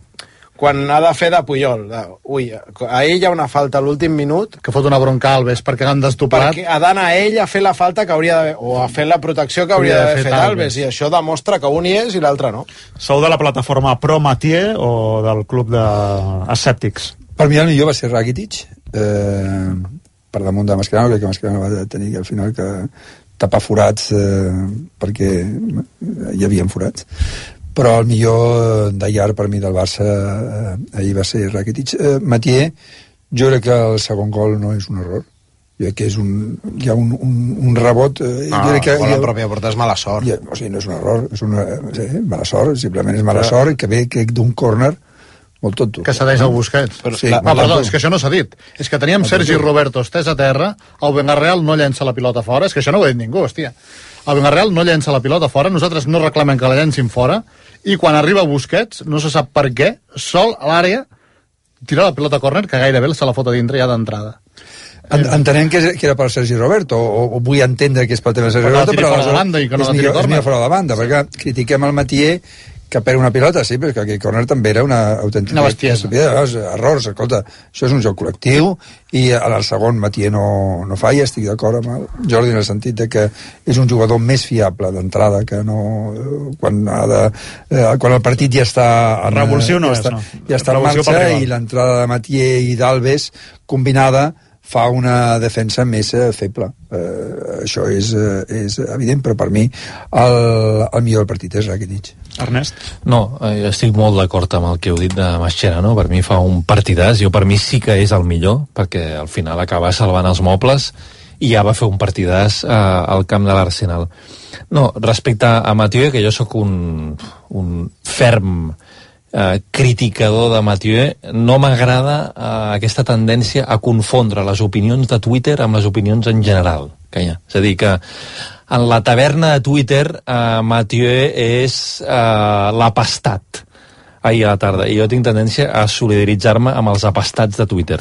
quan ha de fer de Puyol. Ahir hi ha una falta a l'últim minut... Que fot una bronca a Alves perquè l'han destopat. Perquè ha d'anar ell a fer la falta que hauria d'haver... O a fer la protecció que hauria d'haver fet Alves. I això demostra que un hi és i l'altre no. Sou de la plataforma Pro Mathieu o del club d'escèptics? Per mi el millor va ser Rakitic, per damunt de Mascherano, crec que Mascherano va tenir al final que tapar forats perquè hi havia forats, però el millor d'ahir per mi del Barça ahir va ser Rakitic. Mathieu, jo crec que el segon gol no és un error, jo crec que hi ha un rebot, jo crec que la pròpia porta és mala sort, o sigui, no és un error, és mala sort, simplement és mala sort, que ve d'un córner molt tonto. Que cedeix el Busquets. Perdó, és que això no s'ha dit. És que teníem Sergi Roberto estès a terra, el Bengarreal no llença la pilota fora, és que això no ho ha dit ningú, hòstia. El Bengarreal no llença la pilota fora, nosaltres no reclamem que la llencin fora, i quan arriba Busquets, no se sap per què, sol a l'àrea, tira la pilota a córner, que gairebé se la fot a dintre ja d'entrada. Entenem que era per Sergi Roberto, o vull entendre que és pel tema de Sergi Roberto, però és millor fora de la banda, perquè critiquem el Mathieu que perd una pilota, sí, però que aquell córner també era una autèntica bestiesa. Errors, escolta, això és un joc col·lectiu, i en el segon Mathieu no falla, estic d'acord amb el Jordi en el sentit de que és un jugador més fiable d'entrada, que no quan el partit ja està en marxa, i l'entrada de Mathieu i d'Alves combinada fa una defensa més feble. Això és evident, però per mi el millor del partit és Rakitic. Ernest? No, estic molt d'acord amb el que heu dit de Mascherano. Per mi fa un partidàs, per mi sí que és el millor, perquè al final acaba salvant els mobles i ja va fer un partidàs al camp de l'Arsenal. No, respecte a Mathieu, que jo sóc un ferm criticador de Mathieu, no m'agrada aquesta tendència a confondre les opinions de Twitter amb les opinions en general que hi ha. És a dir, que en la taverna de Twitter Mathieu és l'apastat ahir a la tarda, i jo tinc tendència a solidaritzar-me amb els apastats de Twitter,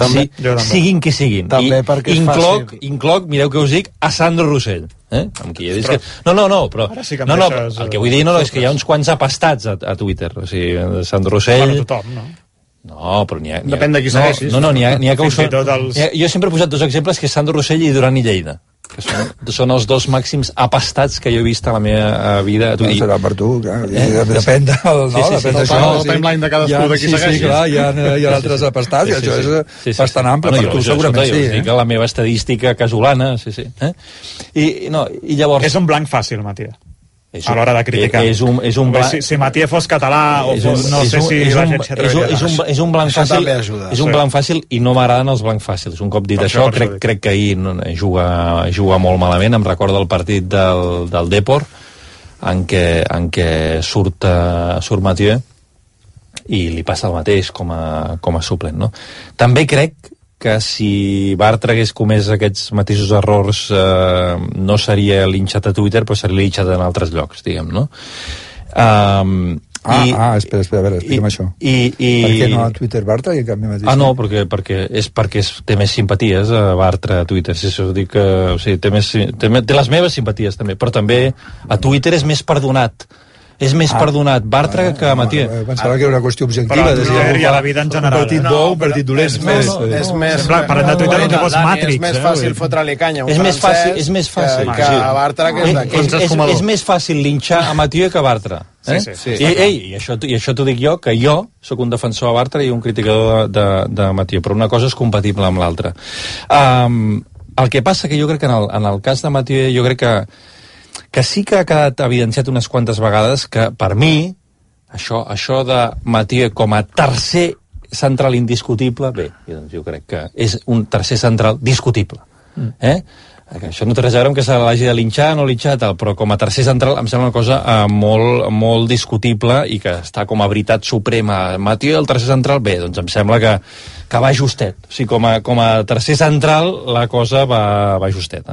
siguin qui siguin. També perquè incloc, mireu que us dic, a Sandro Rossell, amb qui he dit que... No, però el que vull dir és que hi ha uns quants apastats a Twitter, o sigui, Sandro Rossell... Bueno, tothom, no? No, però n'hi ha... Depèn de qui segueixis. No, n'hi ha que ho són... Jo sempre he posat dos exemples, que és Sandro Rossell i Duran i Lleida, que són els dos màxims apastats que jo he vist a la meva vida. No serà per tu, clar. Depèn d'això. El timeline de cadascú de qui segueixis. Sí, clar, hi ha altres apastats, i això és bastant ample, per tu segurament sí. Jo dic la meva estadística casolana, I llavors... És un blanc fàcil, Mathieu, a l'hora de criticar. Si Mathieu fos català o fos, no sé si la gent s'atreveix. És un blanc fàcil, és un blanc fàcil, i no m'agraden els blancs fàcils. Un cop dit això, crec que ahir juga molt malament. Em recorda el partit del Depor, en què surt Mathieu i li passa el mateix com a suplent, no? També crec que si Bartra hagués comès aquests mateixos errors no seria linxat a Twitter, però seria linxat en altres llocs, diguem, no? Espera, a veure, explica'm això. Per què no a Twitter Bartra i en canvi mateix? No, perquè té més simpaties a Bartra a Twitter, si això dic que... O sigui, té les meves simpaties també, però també a Twitter és més perdonat. És més perdonat Bartra que Mathieu. Pensava que era una qüestió objectiva. Però a la vida en general. Un partit bo, un partit dolent. És més... Parlem de Twitter, no pots Matrix. És més fàcil fotre-li canya a un francès que a Bartra, que és d'aquí. És més fàcil linxar a Mathieu que a Bartra. Sí. I això t'ho dic jo, que jo sóc un defensor de Bartra i un criticador de Mathieu, però una cosa és compatible amb l'altra. El que passa que jo crec que en el cas de Mathieu, jo crec que sí que ha quedat evidenciat unes quantes vegades que, per mi, això de Mathieu com a tercer central indiscutible, doncs jo crec que és un tercer central discutible. Això no té res a veure amb que se l'hagi de linxar o no linxar, però com a tercer central em sembla una cosa molt discutible i que està com a veritat suprema. Mathieu, el tercer central, doncs em sembla que va justet. O sigui, com a tercer central la cosa va justet.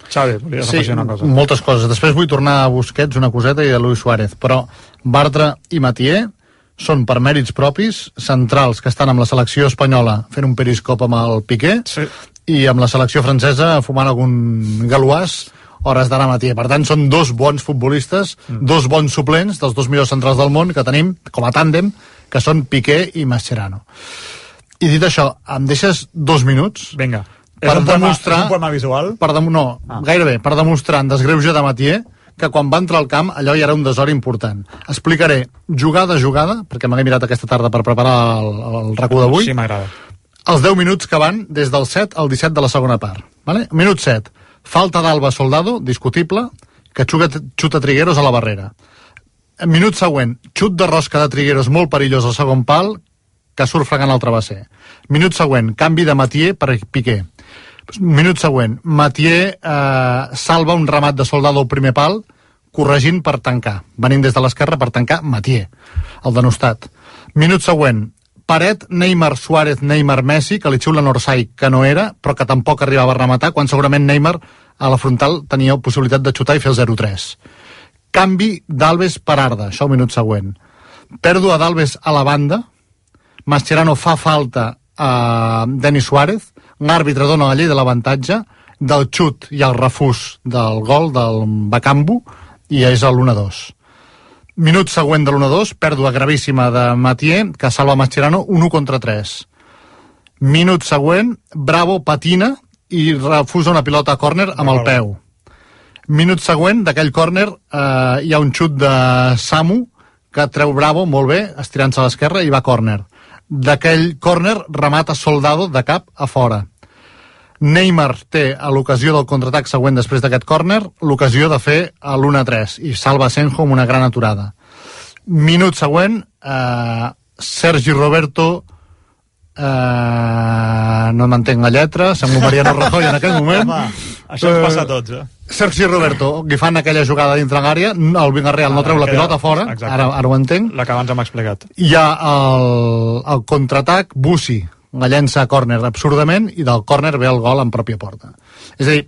Xavi, volies afegir una cosa? Moltes coses. Després vull tornar a Busquets, una coseta, i a Luis Suárez, però Bartra i Mathieu són per mèrits propis centrals que estan amb la selecció espanyola fent un periscop amb el Piqué, i amb la selecció francesa fumant algun galuàs hores d'ara matí. Per tant, són dos bons futbolistes, dos bons suplents dels dos millors centrals del món que tenim com a tàndem, que són Piqué i Mascherano. I dit això, em deixes 2 minuts? Vinga. Per demostrar... És un poema visual? Gairebé, per demostrar en desgreuge de Mathieu que quan va entrar al camp allò ja era un desori important. Explicaré jugada a jugada, perquè m'he mirat aquesta tarda per preparar el RAC1 d'avui. Sí, m'agrada. Els 10 minuts que van des del 7 al 17 de la segona part. Vale? Minut 7. Falta d'Alba Soldado, discutible, que xuta Trigueros a la barrera. Minut següent, xut de rosca de Trigueros molt perillós al segon pal, que surt fregant el travesser. Minut següent, canvi de Mathieu per Piqué. Minut següent, Mathieu salva un remat de Soldado al primer pal, corregint per tancar, venint des de l'esquerra per tancar Mathieu, el denostat. Minut següent, paret Neymar, Suárez, Neymar, Messi, que li xiula Orsay, que no era, però que tampoc arribava a rematar, quan segurament Neymar a la frontal tenia possibilitat de xutar i fer el 0-3. Canvi d'Alves per Arda, això al minut següent. Pèrdua d'Alves a la banda, Mascherano fa falta a Denis Suárez, l'àrbitre dona la llei de l'avantatge, del xut i el refús del gol del Bakambu, i és l'1-2. Minut següent de l'1-2, pèrdua gravíssima de Mathieu, que salva Mascherano, 1-3. Minut següent, Bravo patina i refusa una pilota a córner amb el peu. Minut següent, d'aquell córner, hi ha un xut de Samu, que treu Bravo, molt bé, estirant-se a l'esquerra, i va a córner. D'aquell córner remata Soldado de cap a fora. Neymar té a l'ocasió del contraatac següent després d'aquest córner l'ocasió de fer l'1-3 i salva Senjo amb una gran aturada. Minut següent, Sergi Roberto no m'entenc la lletra, sembla Mariano Rajoy en aquell moment. Això ens passa a tots, Sergi Roberto, que fan aquella jugada dintre l'àrea, el Villarreal no treu la pilota fora, ara ho entenc. La que abans hem explicat. Hi ha el contraatac, Bussi la llença a córner absurdament i del córner ve el gol en pròpia porta. És a dir,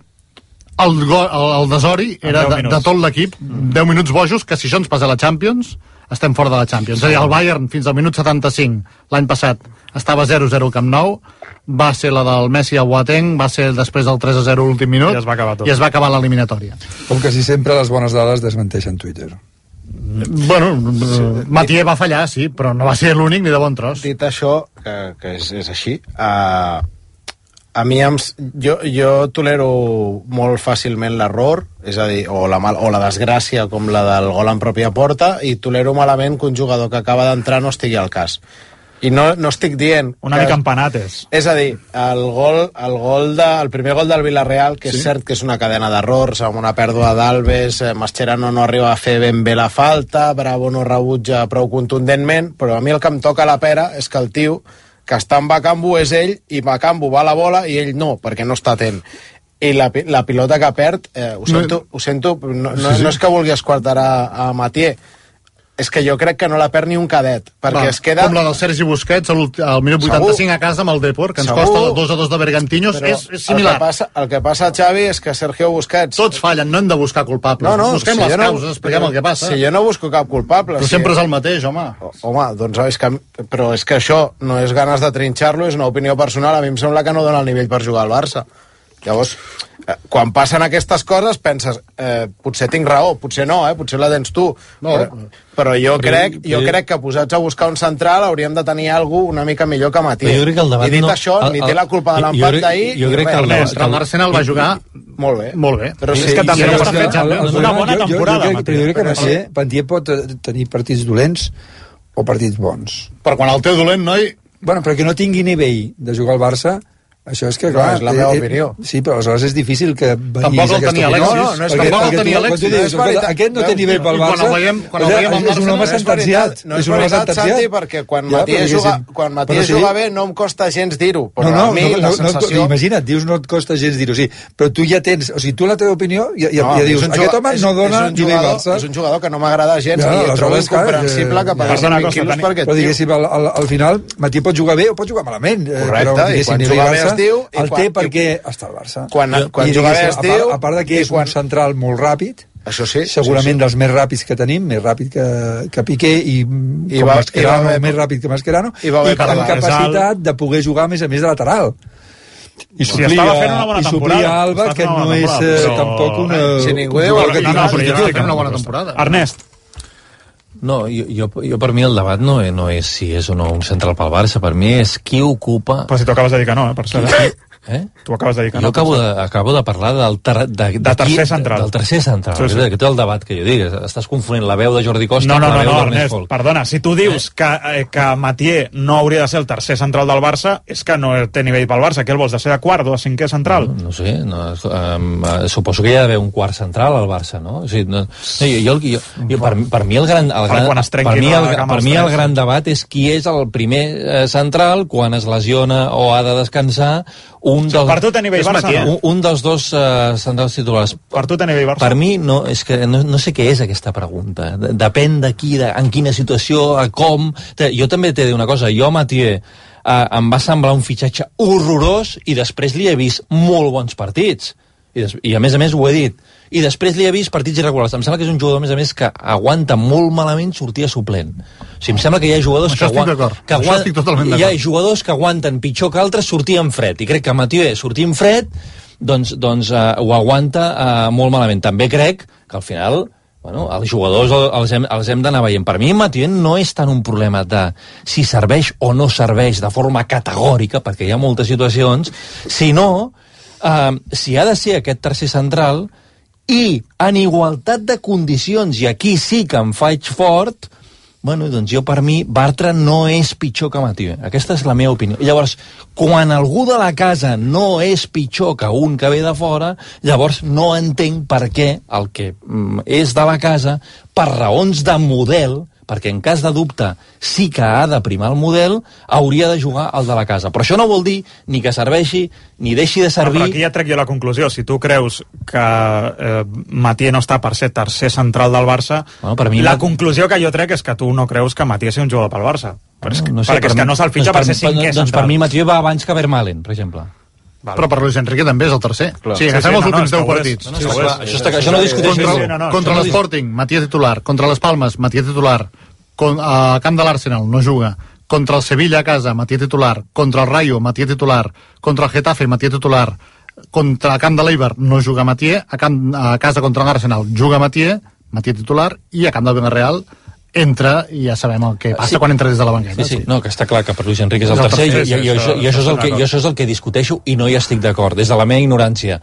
el desori era de tot l'equip, 10 minuts bojos, que si això ens passa a la Champions, estem fora de la Champions. És a dir, el Bayern fins al minut 75 l'any passat estava 0-0 al Camp Nou, va ser la del Messi a Boateng, va ser després del 3-0 l'últim minut i es va acabar tot. I es va acabar l'eliminatòria. Com que si sempre les bones dades desmenteixen Twitter. Bueno, Mathieu va fallar, sí, però no va ser l'únic ni de bon tros. Dit això, que és així, a mi jo tolero molt fàcilment l'error, és a dir, o la desgràcia com la del gol en pròpia porta, i tolero malament que un jugador que acaba d'entrar no estigui al cas. I no estic dient... Una mica empanates. És a dir, el primer gol del Villarreal, que és cert que és una cadena d'errors, amb una pèrdua d'Alves, Mascherano no arriba a fer ben bé la falta, Bravo no rebutja prou contundentment, però a mi el que em toca la pera és que el tio que està en Bakambu és ell, i Bakambu va a la bola i ell no, perquè no està atent. I la pilota que perd, ho sento, no és que vulgui esquarterar a Mathieu, és que jo crec que no la perd ni un cadet, perquè es queda... Com la del Sergi Busquets al minut 85 a casa amb el Depor, que ens costa el 2-2 de Bergantiños, és similar. El que passa, Xavi, és que Sergio Busquets... Tots fallen, no hem de buscar culpables. Busquem les causes, expliquem el que passa. Si jo no busco cap culpable... Però sempre és el mateix, home. Home, doncs però és que això no és ganes de trinxar-lo, és una opinió personal. A mi em sembla que no dona el nivell per jugar al Barça. Llavors, quan passen aquestes coses penses, potser tinc raó, potser no, potser la tens tu, però jo crec que posats a buscar un central hauríem de tenir algú una mica millor que Mathieu. I dit això, ni té la culpa de l'empat d'ahir. Jo crec que l'Arsenal va jugar molt bé. Però és que també està fent una bona temporada. Però jo crec que Mathieu pot tenir partits dolents o partits bons. Però quan el teu dolent, noi... Bueno, però que no tingui nivell de jugar al Barça, això és que, clar... és la meva opinió. Sí, però aleshores és difícil que tampoc el tenia Alexis. Tampoc el tenia Alexis. Aquest no té nivell pel Barça. Quan el veiem és un home sentenciat. No és veritat, Santi, perquè quan Mathieu juga bé no em costa gens dir-ho. Però a mi la sensació... Imagina't, dius no et costa gens dir-ho, sí. Però tu ja tens... O sigui, tu la teva opinió ja dius, aquest home no dona nivell Barça. És un jugador que no m'agrada gens i trobo incomprensible que paguessin 20 quilos per aquest tio. Però diguéssim, al final, Mathieu pot jugar bé o pot jugar malament. Correcte, i quan juga bé el té perquè està al Barça. Quan juga bé es diu... A part que és un central molt ràpid, això sí, segurament dels més ràpids que tenim, més ràpid que Piqué i Mascherano, més ràpid que Mascherano, i amb capacitat de poder jugar a més de lateral. I suplir a Alba, que no és tampoc una... Si ningú diu una bona temporada. Ernest. No, jo per mi el debat no és si és o no un central pel Barça, per mi és qui ocupa... Però si tu acabes de dir que no, per cert. Tu acabes de dir que no. Jo acabo de parlar del tercer central. Del tercer central. Sí. Aquest és el debat que jo dic. Estàs confonent la veu de Jordi Costa amb la veu d'Ernest Folk. Perdona, si tu dius que Mathieu no hauria de ser el tercer central del Barça, és que no té nivell pel Barça. Què el vols, de ser de quart o de cinquè central? No sé, suposo que hi ha d'haver un quart central al Barça, no? O sigui, per mi el gran debat és qui és el primer central quan es lesiona o ha de descansar un dels dos centrals titulars. Per tu té nivell Barça? Per mi no, és que no sé què és aquesta pregunta. Depèn de qui, en quina situació, a com. Jo també t'he de dir una cosa, jo Mathieu em va semblar un fitxatge horrorós i després li he vist molt bons partits. I a més ho he dit. I després li he vist partits irregulars. Em sembla que és un jugador, a més, que aguanta molt malament sortir a suplent. O sigui, em sembla que hi ha jugadors hi ha jugadors que aguanten pitjor que altres sortir en fred. I crec que Mathieu sortir en fred doncs ho aguanta molt malament. També crec que al final els jugadors els hem d'anar veient. Per mi Mathieu no és tant un problema de si serveix o no serveix de forma categòrica, perquè hi ha moltes situacions, sinó si ha de ser aquest tercer central i en igualtat de condicions, i aquí sí que em faig fort, doncs jo per mi Bartra no és pitjor que Mathieu. Aquesta és la meva opinió. Llavors, quan algú de la casa no és pitjor que un que ve de fora, llavors no entenc per què el que és de la casa, per raons de model, perquè en cas de dubte sí que ha de primar el model, hauria de jugar el de la casa. Però això no vol dir ni que serveixi, ni deixi de servir... Però aquí ja trec jo la conclusió. Si tu creus que Mathieu no està per ser tercer central del Barça, la conclusió que jo trec és que tu no creus que Mathieu sigui un jugador pel Barça. Perquè és que no se'l fitxa per ser cinquè central. Doncs per mi Mathieu va abans que Vermaelen, per exemple. Però per Luis Enrique també és el tercer. Sí, agafem els últims 10 partits. Això no discuteixo. Contra l'Sporting, Mathieu titular. Contra les Palmes, Mathieu titular. A camp de l'Arsenal, no juga. Contra el Sevilla a casa, Mathieu titular. Contra el Rayo, Mathieu titular. Contra el Getafe, Mathieu titular. Contra el camp de l'Eibar, no juga Mathieu. A casa contra l'Arsenal, juga Mathieu titular. I a camp del Villarreal entra i ja sabem el que passa quan entra des de la banqueta. Sí, no, que està clar que per Luis Enrique és el tercer i això és el que discuteixo i no hi estic d'acord, des de la meva ignorància.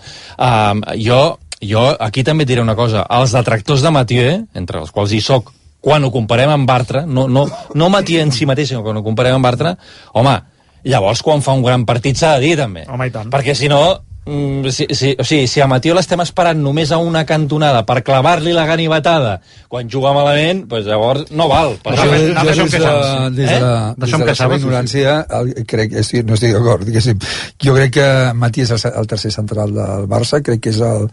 Jo aquí també diré una cosa, els detractors de Mathieu, entre els quals hi soc, quan ho comparem amb Bartra, no Mathieu en si mateix, sinó quan ho comparem amb Bartra, home, llavors quan fa un gran partit s'ha de dir també, perquè si no si a Mathieu l'estem esperant només a una cantonada per clavar-li la ganivetada quan juga malament, doncs llavors no val. Des de la seva ignorància no estic d'acord. Jo crec que Mathieu és el tercer central del Barça, crec que és el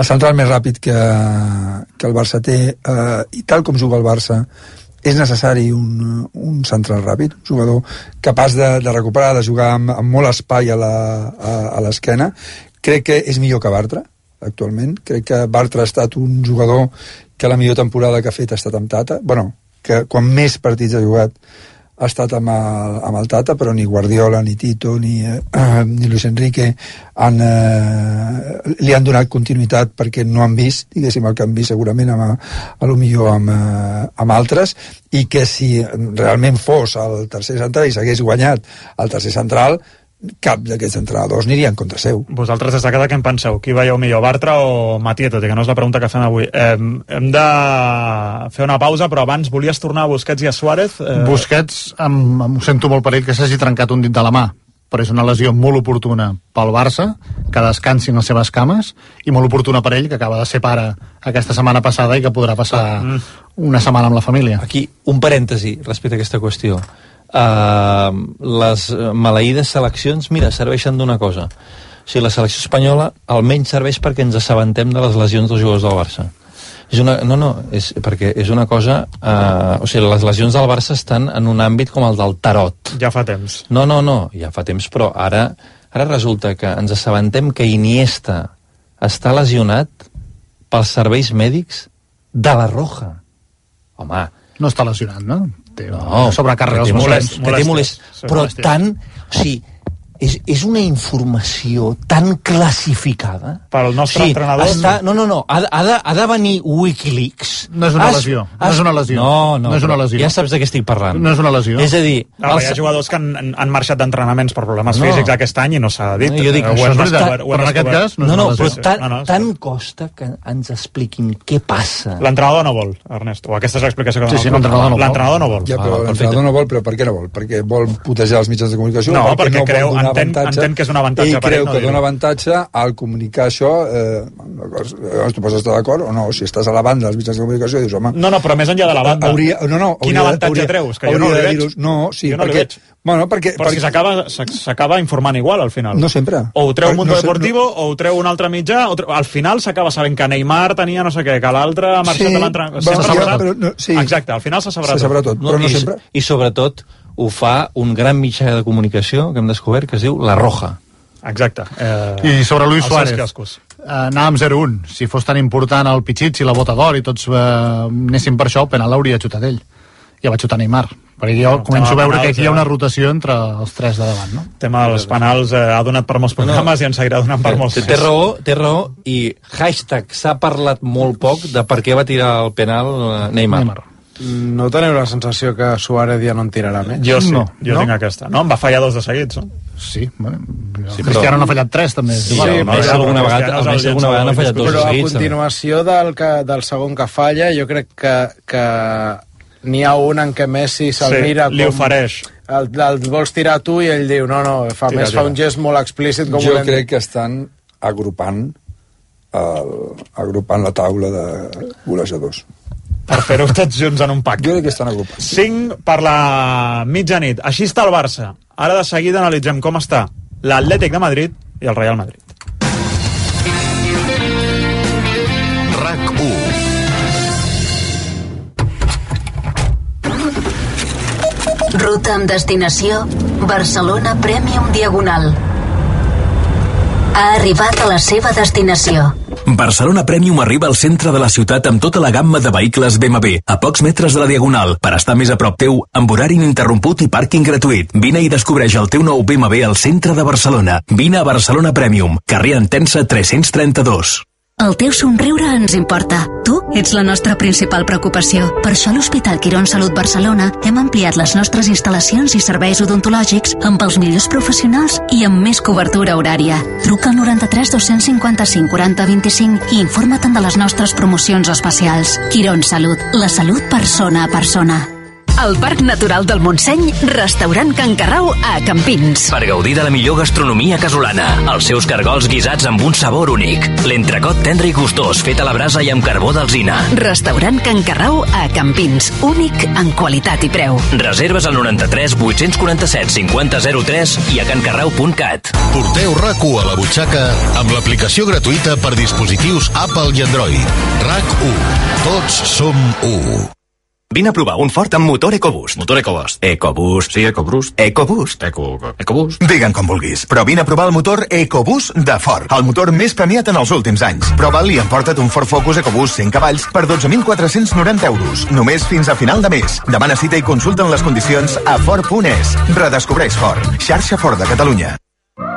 central més ràpid que el Barça té, i tal com juga el Barça és necessari un central ràpid, un jugador capaç de recuperar, de jugar amb molt espai a l'esquena. Crec que és millor que Bartra, actualment. Crec que Bartra ha estat un jugador que la millor temporada que ha fet ha estat amb Tata. Que quan més partits ha jugat ha estat amb el Tata, però ni Guardiola, ni Tito, ni Luis Enrique li han donat continuïtat perquè no han vist, diguéssim, el que han vist segurament amb altres, i que si realment fos el tercer central i s'hagués guanyat el tercer central, cap d'aquests entrenadors anirien contra seu. Vosaltres des de cada què en penseu? Qui veieu millor, Bartra o Mathieu? Tot i que no és la pregunta que fem avui. Hem de fer una pausa, però abans volies tornar a Busquets i a Suárez? Busquets, em sento molt per ell que s'hagi trencat un dit de la mà, però és una lesió molt oportuna pel Barça, que descansin les seves cames, i molt oportuna per ell, que acaba de ser pare aquesta setmana passada i que podrà passar una setmana amb la família. Aquí, un parèntesi respecte a aquesta qüestió. Les maleïdes seleccions, mira, serveixen d'una cosa. O sigui, la selecció espanyola almenys serveix perquè ens assabentem de les lesions dels jugadors del Barça. Perquè és una cosa... o sigui, les lesions del Barça estan en un àmbit com el del tarot. Ja fa temps. No, ja fa temps, però ara resulta que ens assabentem que Iniesta està lesionat pels serveis mèdics de la Roja. Home... No està lesionat, no? Sobrecàrrega als muscles. Però tant... O sigui, és una informació tan classificada. Pel nostre entrenador... No. Ha de venir Wikileaks. No és una lesió. No és una lesió. No és una lesió. Ja saps de què estic parlant. No és una lesió. És a dir... Hi ha jugadors que han marxat d'entrenaments per problemes físics aquest any i no s'ha dit. Jo dic, això és veritat, però en aquest cas no és una lesió. Però tant costa que ens expliquin què passa. L'entrenador no vol, Ernest, o aquesta és l'explicació que dona. Sí, l'entrenador no vol. Ja, però l'entrenador no vol, però per què no vol? Perquè vol putejar els mitjans de comunicació? No, perquè creu, entén que és un avantatge per ell. Ell creu que dona avantatge al comunicar això. Tu pots estar d'acord o no? Si estàs a la banda dels mitjans de comunicació dius, home... No, però més enllà de la banda. Quin avantatge treus? Que jo no el veig. No, sí, perquè... Però si s'acaba informant igual, al final. No sempre. O ho treu Mundo Deportivo, o ho treu un altre mitjà, al final s'acaba sabent que Neymar tenia no sé què, que l'altre ha marxat de l'entrenador. Exacte, al final se sabrà tot. Però no sempre. I sobretot ho fa un gran mitjà de comunicació que hem descobert que es diu La Roja. Exacte. I sobre Luis Suárez, anàvem 0-1. Si fos tan important el Pichichi, la bota d'or i tots anéssim per això, el penal l'hauria xutat ell. Ja va xutar Neymar. Perquè jo començo a veure que aquí hi ha una rotació entre els tres de davant, no? El tema dels penals ha donat per molts programes i ens seguirà donant per molts. Té raó, i hashtag s'ha parlat molt poc de per què va tirar el penal Neymar. No teniu la sensació que Suárez ja no en tirarà més? Jo sí, jo tinc aquesta. No? Em va fallar 2 de seguits, no? Sí, bueno, Cristiano n'ha fallat 3 també. Sí, alguna vegada n'ha fallat 2 de seguits. Però a continuació del segon que falla, jo crec que n'hi ha un en què Messi se'l mira com... li ofereix. El vols tirar tu i ell diu, no, fa un gest molt explícit. Jo crec que estan agrupant la taula de golejadors. Per fer-ho tots junts en un pack. Jo crec que estan agrupats. 5 per la mitjanit. Així està el Barça. Ara de seguida analitzem com està l'Atlètic de Madrid i el Real Madrid. RAC 1. Ruta amb destinació Barcelona Premium Diagonal. Ha arribat a la seva destinació. Barcelona Premium arriba al centre de la ciutat amb tota la gamma de vehicles BMW, a pocs metres de la Diagonal, per estar més a prop teu, amb horari ininterromput i pàrquing gratuït. Vine i descobreix el teu nou BMW al centre de Barcelona. Vine a Barcelona Premium, carrer Entença 332. El teu somriure ens importa. Tu ets la nostra principal preocupació. Per això a l'Hospital Quirón Salut Barcelona hem ampliat les nostres instal·lacions i serveis odontològics amb els millors professionals i amb més cobertura horària. Truca al 93 255 40 25 i informa't de les nostres promocions especials. Quirón Salut, la salut persona a persona. Al Parc Natural del Montseny, restaurant Can Carrau a Campins. Per gaudir de la millor gastronomia casolana, els seus cargols guisats amb un sabor únic, l'entrecot tendre i gustós fet a la brasa i amb carbó d'alzina. Restaurant Can Carrau a Campins, únic en qualitat i preu. Reserves al 93 847 5003 i a cancarrau.cat. Porteu RAC1 a la butxaca amb l'aplicació gratuïta per dispositius Apple i Android. RAC1. Tots som 1. Vine a provar un Ford amb motor EcoBoost. Motor EcoBoost. EcoBoost. Sí, EcoBoost. EcoBoost. EcoBoost. Digue'n com vulguis, però vine a provar el motor EcoBoost de Ford, el motor més premiat en els últims anys. Prova'l i emporta't un Ford Focus EcoBoost 100 cavalls per 12.490 euros, només fins a final de mes. Demana cita i consulta les condicions a Ford.es. Redescobreix Ford, xarxa Ford de Catalunya.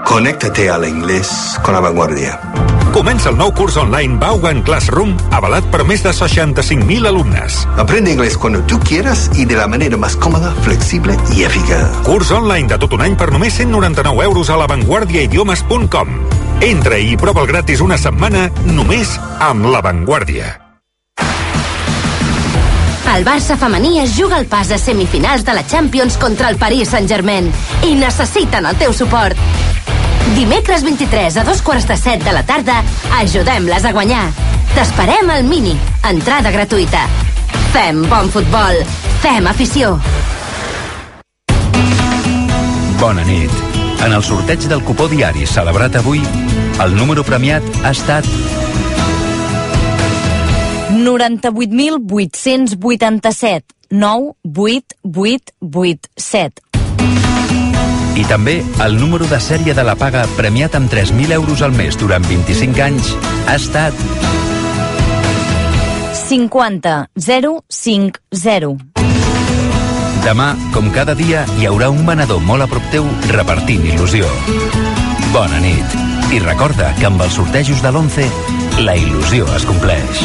Conéctate al inglés con la vanguardia. Comença el nou curs online Vaughan Classroom, avalat per més de 65.000 alumnes. Aprende inglés cuando tú quieras y de la manera más cómoda, flexible y eficaz. Curs online de tot un any per només 199 euros a lavanguardiaidiomes.com. Entra i prova'l gratis una setmana només amb La Vanguardia. El Barça femení es juga al pas a semifinals de la Champions contra el Paris Saint-Germain i necessiten el teu suport. Dimecres 23 a 2:15 de la tarda, ajudem-les a guanyar. T'esperem al Mini. Entrada gratuïta. Fem bon futbol. Fem afició. Bona nit. En el sorteig del cupó diari celebrat avui, el número premiat ha estat 98.887 98887. I també el número de sèrie de la paga premiat amb 3.000 euros al mes durant 25 anys ha estat 50050. Demà, com cada dia, hi haurà un venedor molt a prop teu repartint il·lusió. Bona nit. I recorda que amb els sortejos de l'11, la il·lusió es compleix.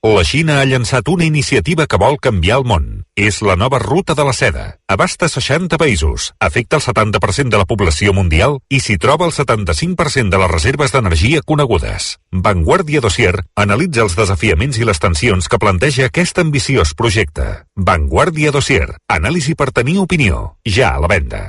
La Xina ha llançat una iniciativa que vol canviar el món. És la nova ruta de la seda. Abasta 60 països, afecta el 70% de la població mundial i s'hi troba el 75% de les reserves d'energia conegudes. Vanguardia Dossier analitza els desafiaments i les tensions que planteja aquest ambiciós projecte. Vanguardia Dossier, anàlisi per tenir opinió. Ja a la venda.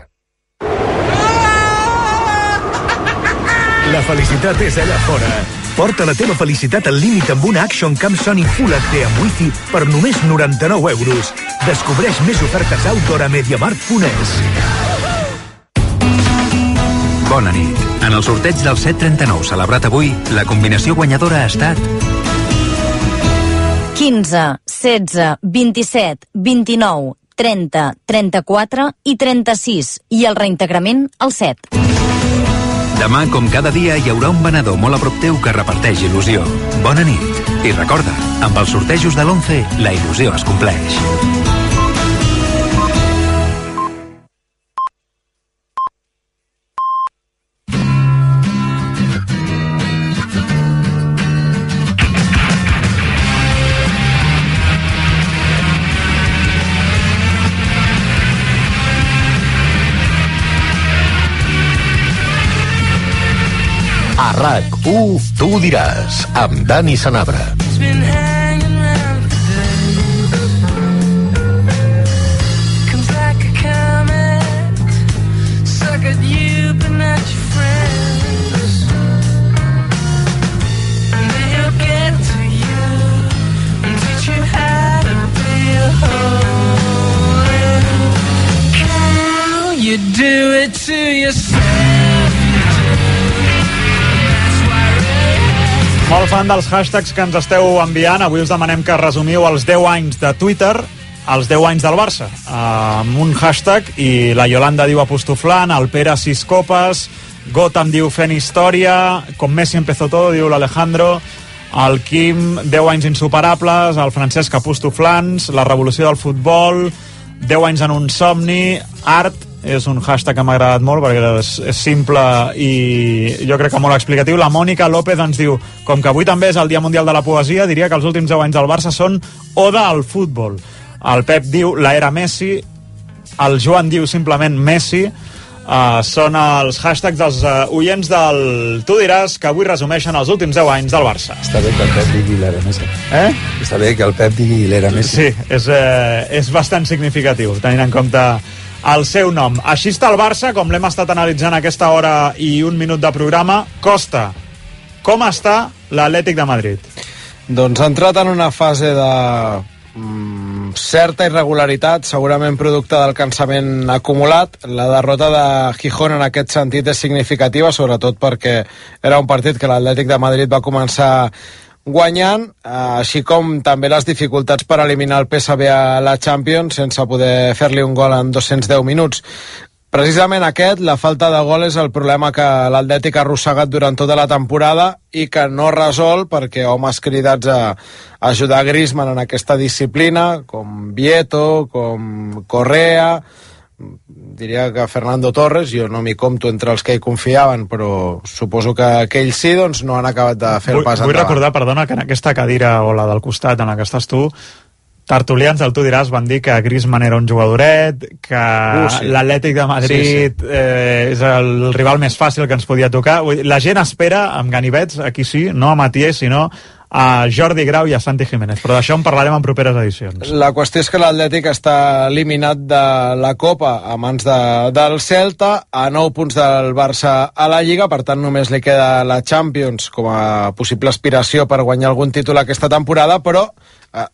La felicitat és allà fora. Porta la teva felicitat al límit amb una Action Cam Sony Full HD amb Wi-Fi per només 99 euros. Descobreix més ofertes outdoor a MediaMarkt.es. Bona nit. En el sorteig del 739 celebrat avui, la combinació guanyadora ha estat 15, 16, 27, 29, 30, 34 i 36. I el reintegrament al 7. Demà, com cada dia, hi haurà un venedor molt a prop teu que reparteix il·lusió. Bona nit. I recorda, amb els sortejos de l'11, la il·lusió es compleix. A RAC1, tu ho diràs, amb Dani Sanabra. You do it to yourself. Molt fan dels hashtags que ens esteu enviant. Avui us demanem que resumiu els 10 anys de Twitter, els 10 anys del Barça, amb un hashtag, i la Yolanda diu apostoflant, el Pere 6 copes, Gotham diu fent història, com Messi empezó todo, diu l'Alejandro, el Quim, 10 anys insuperables, el Francesc apostoflants, la revolució del futbol, 10 anys en un somni, art, és un hashtag que m'ha agradat molt perquè és simple i jo crec que molt explicatiu. La Mònica López ens diu, com que avui també és el Dia Mundial de la Poesia, diria que els últims 10 anys del Barça són oda al futbol. El Pep diu la era Messi, el Joan diu simplement Messi. Són els hashtags dels oients del Tu diràs, que avui resumeixen els últims 10 anys del Barça. Està bé que el Pep digui l'era Messi. Està bé que el Pep digui l'era Messi. Sí, és bastant significatiu, tenint en compte el seu nom. Així està el Barça, com l'hem estat analitzant aquesta hora i un minut de programa. Costa, com està l'Atlètic de Madrid? Doncs ha entrat en una fase de certa irregularitat, segurament producte del cansament acumulat. La derrota de Gijón en aquest sentit és significativa, sobretot perquè era un partit que l'Atlètic de Madrid va començar guanyant, així com també les dificultats per eliminar el PSV a la Champions sense poder fer-li un gol en 210 minuts. Precisament aquest, la falta de gol, és el problema que l'Atlètic ha arrossegat durant tota la temporada i que no resol perquè homes cridats a ajudar Griezmann en aquesta disciplina, com Vieto, com Correa, diria que Fernando Torres, jo no m'hi compto entre els que hi confiaven, però suposo que ells sí, doncs no han acabat de fer el pas endavant. Vull recordar, perdona, que en aquesta cadira o la del costat en la que estàs tu, tertulians del Tu diràs van dir que Griezmann era un jugadoret, que sí. L'Atlètic de Madrid és el rival més fàcil que ens podia tocar. La gent espera, amb ganivets, aquí sí, no a Matiés, sinó a Jordi Grau i a Santi Jiménez, però d'això en parlarem en properes edicions. La qüestió és que l'Atlètic està eliminat de la Copa a mans del Celta, a 9 punts del Barça a la Lliga, per tant només li queda la Champions com a possible aspiració per guanyar algun títol aquesta temporada, però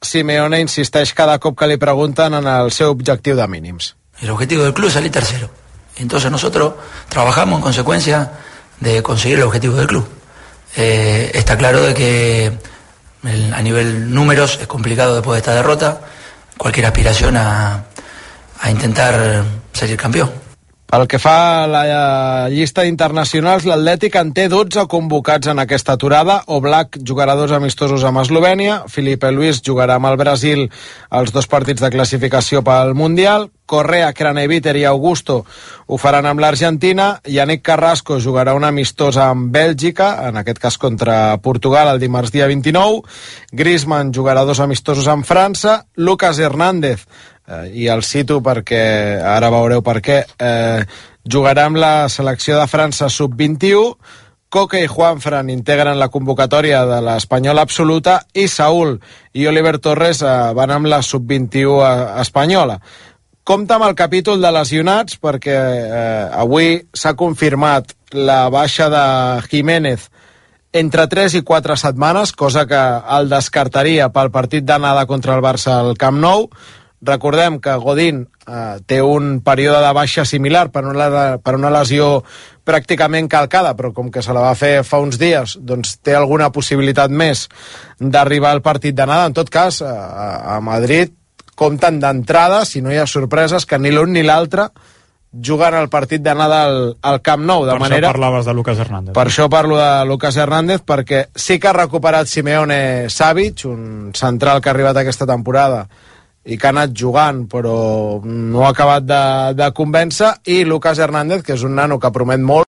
Simeone insisteix cada cop que li pregunten en el seu objectiu de mínims. El objetivo del club es salir tercero. Entonces nosotros trabajamos en consecuencia de conseguir el objetivo del club. Está claro de que a nivel números es complicado después de esta derrota cualquier aspiración a intentar salir campeón. Pel que fa a la llista d'internacionals, l'Atlètic en té 12 convocats en aquesta aturada. Oblak jugarà 2 amistosos amb Eslovènia, Felipe Luis jugarà amb el Brasil els 2 partits de classificació pel Mundial, Correa, Craneviter i Augusto ho faran amb l'Argentina, Yannick Carrasco jugarà un amistós amb Bèlgica, en aquest cas contra Portugal el dimarts dia 29, Griezmann jugarà 2 amistosos amb França, Lucas Hernández, i el cito perquè ara veureu per què, jugarà amb la selecció de França sub-21, Coque i Juanfran integren la convocatòria de l'Espanyola absoluta i Saúl i Oliver Torres van amb la sub-21 espanyola. Compte amb el capítol de lesionats perquè avui s'ha confirmat la baixa de Jiménez entre 3 i 4 setmanes, cosa que el descartaria pel partit d'anada contra el Barça al Camp Nou. Recordem que Godín té un període de baixa similar per una lesió pràcticament calcada, però com que se la va fer fa uns dies, doncs té alguna possibilitat més d'arribar al partit d'anada. En tot cas, a Madrid compten d'entrada, si no hi ha sorpreses, que ni l'un ni l'altre juguen el partit d'anada al Camp Nou. Per això parlaves de Lucas Hernández. Per això parlo de Lucas Hernández, perquè sí que ha recuperat Simeone Savic, un central que ha arribat aquesta temporada i que ha anat jugant però no ha acabat de convèncer, i Lucas Hernández, que és un nano que promet molt.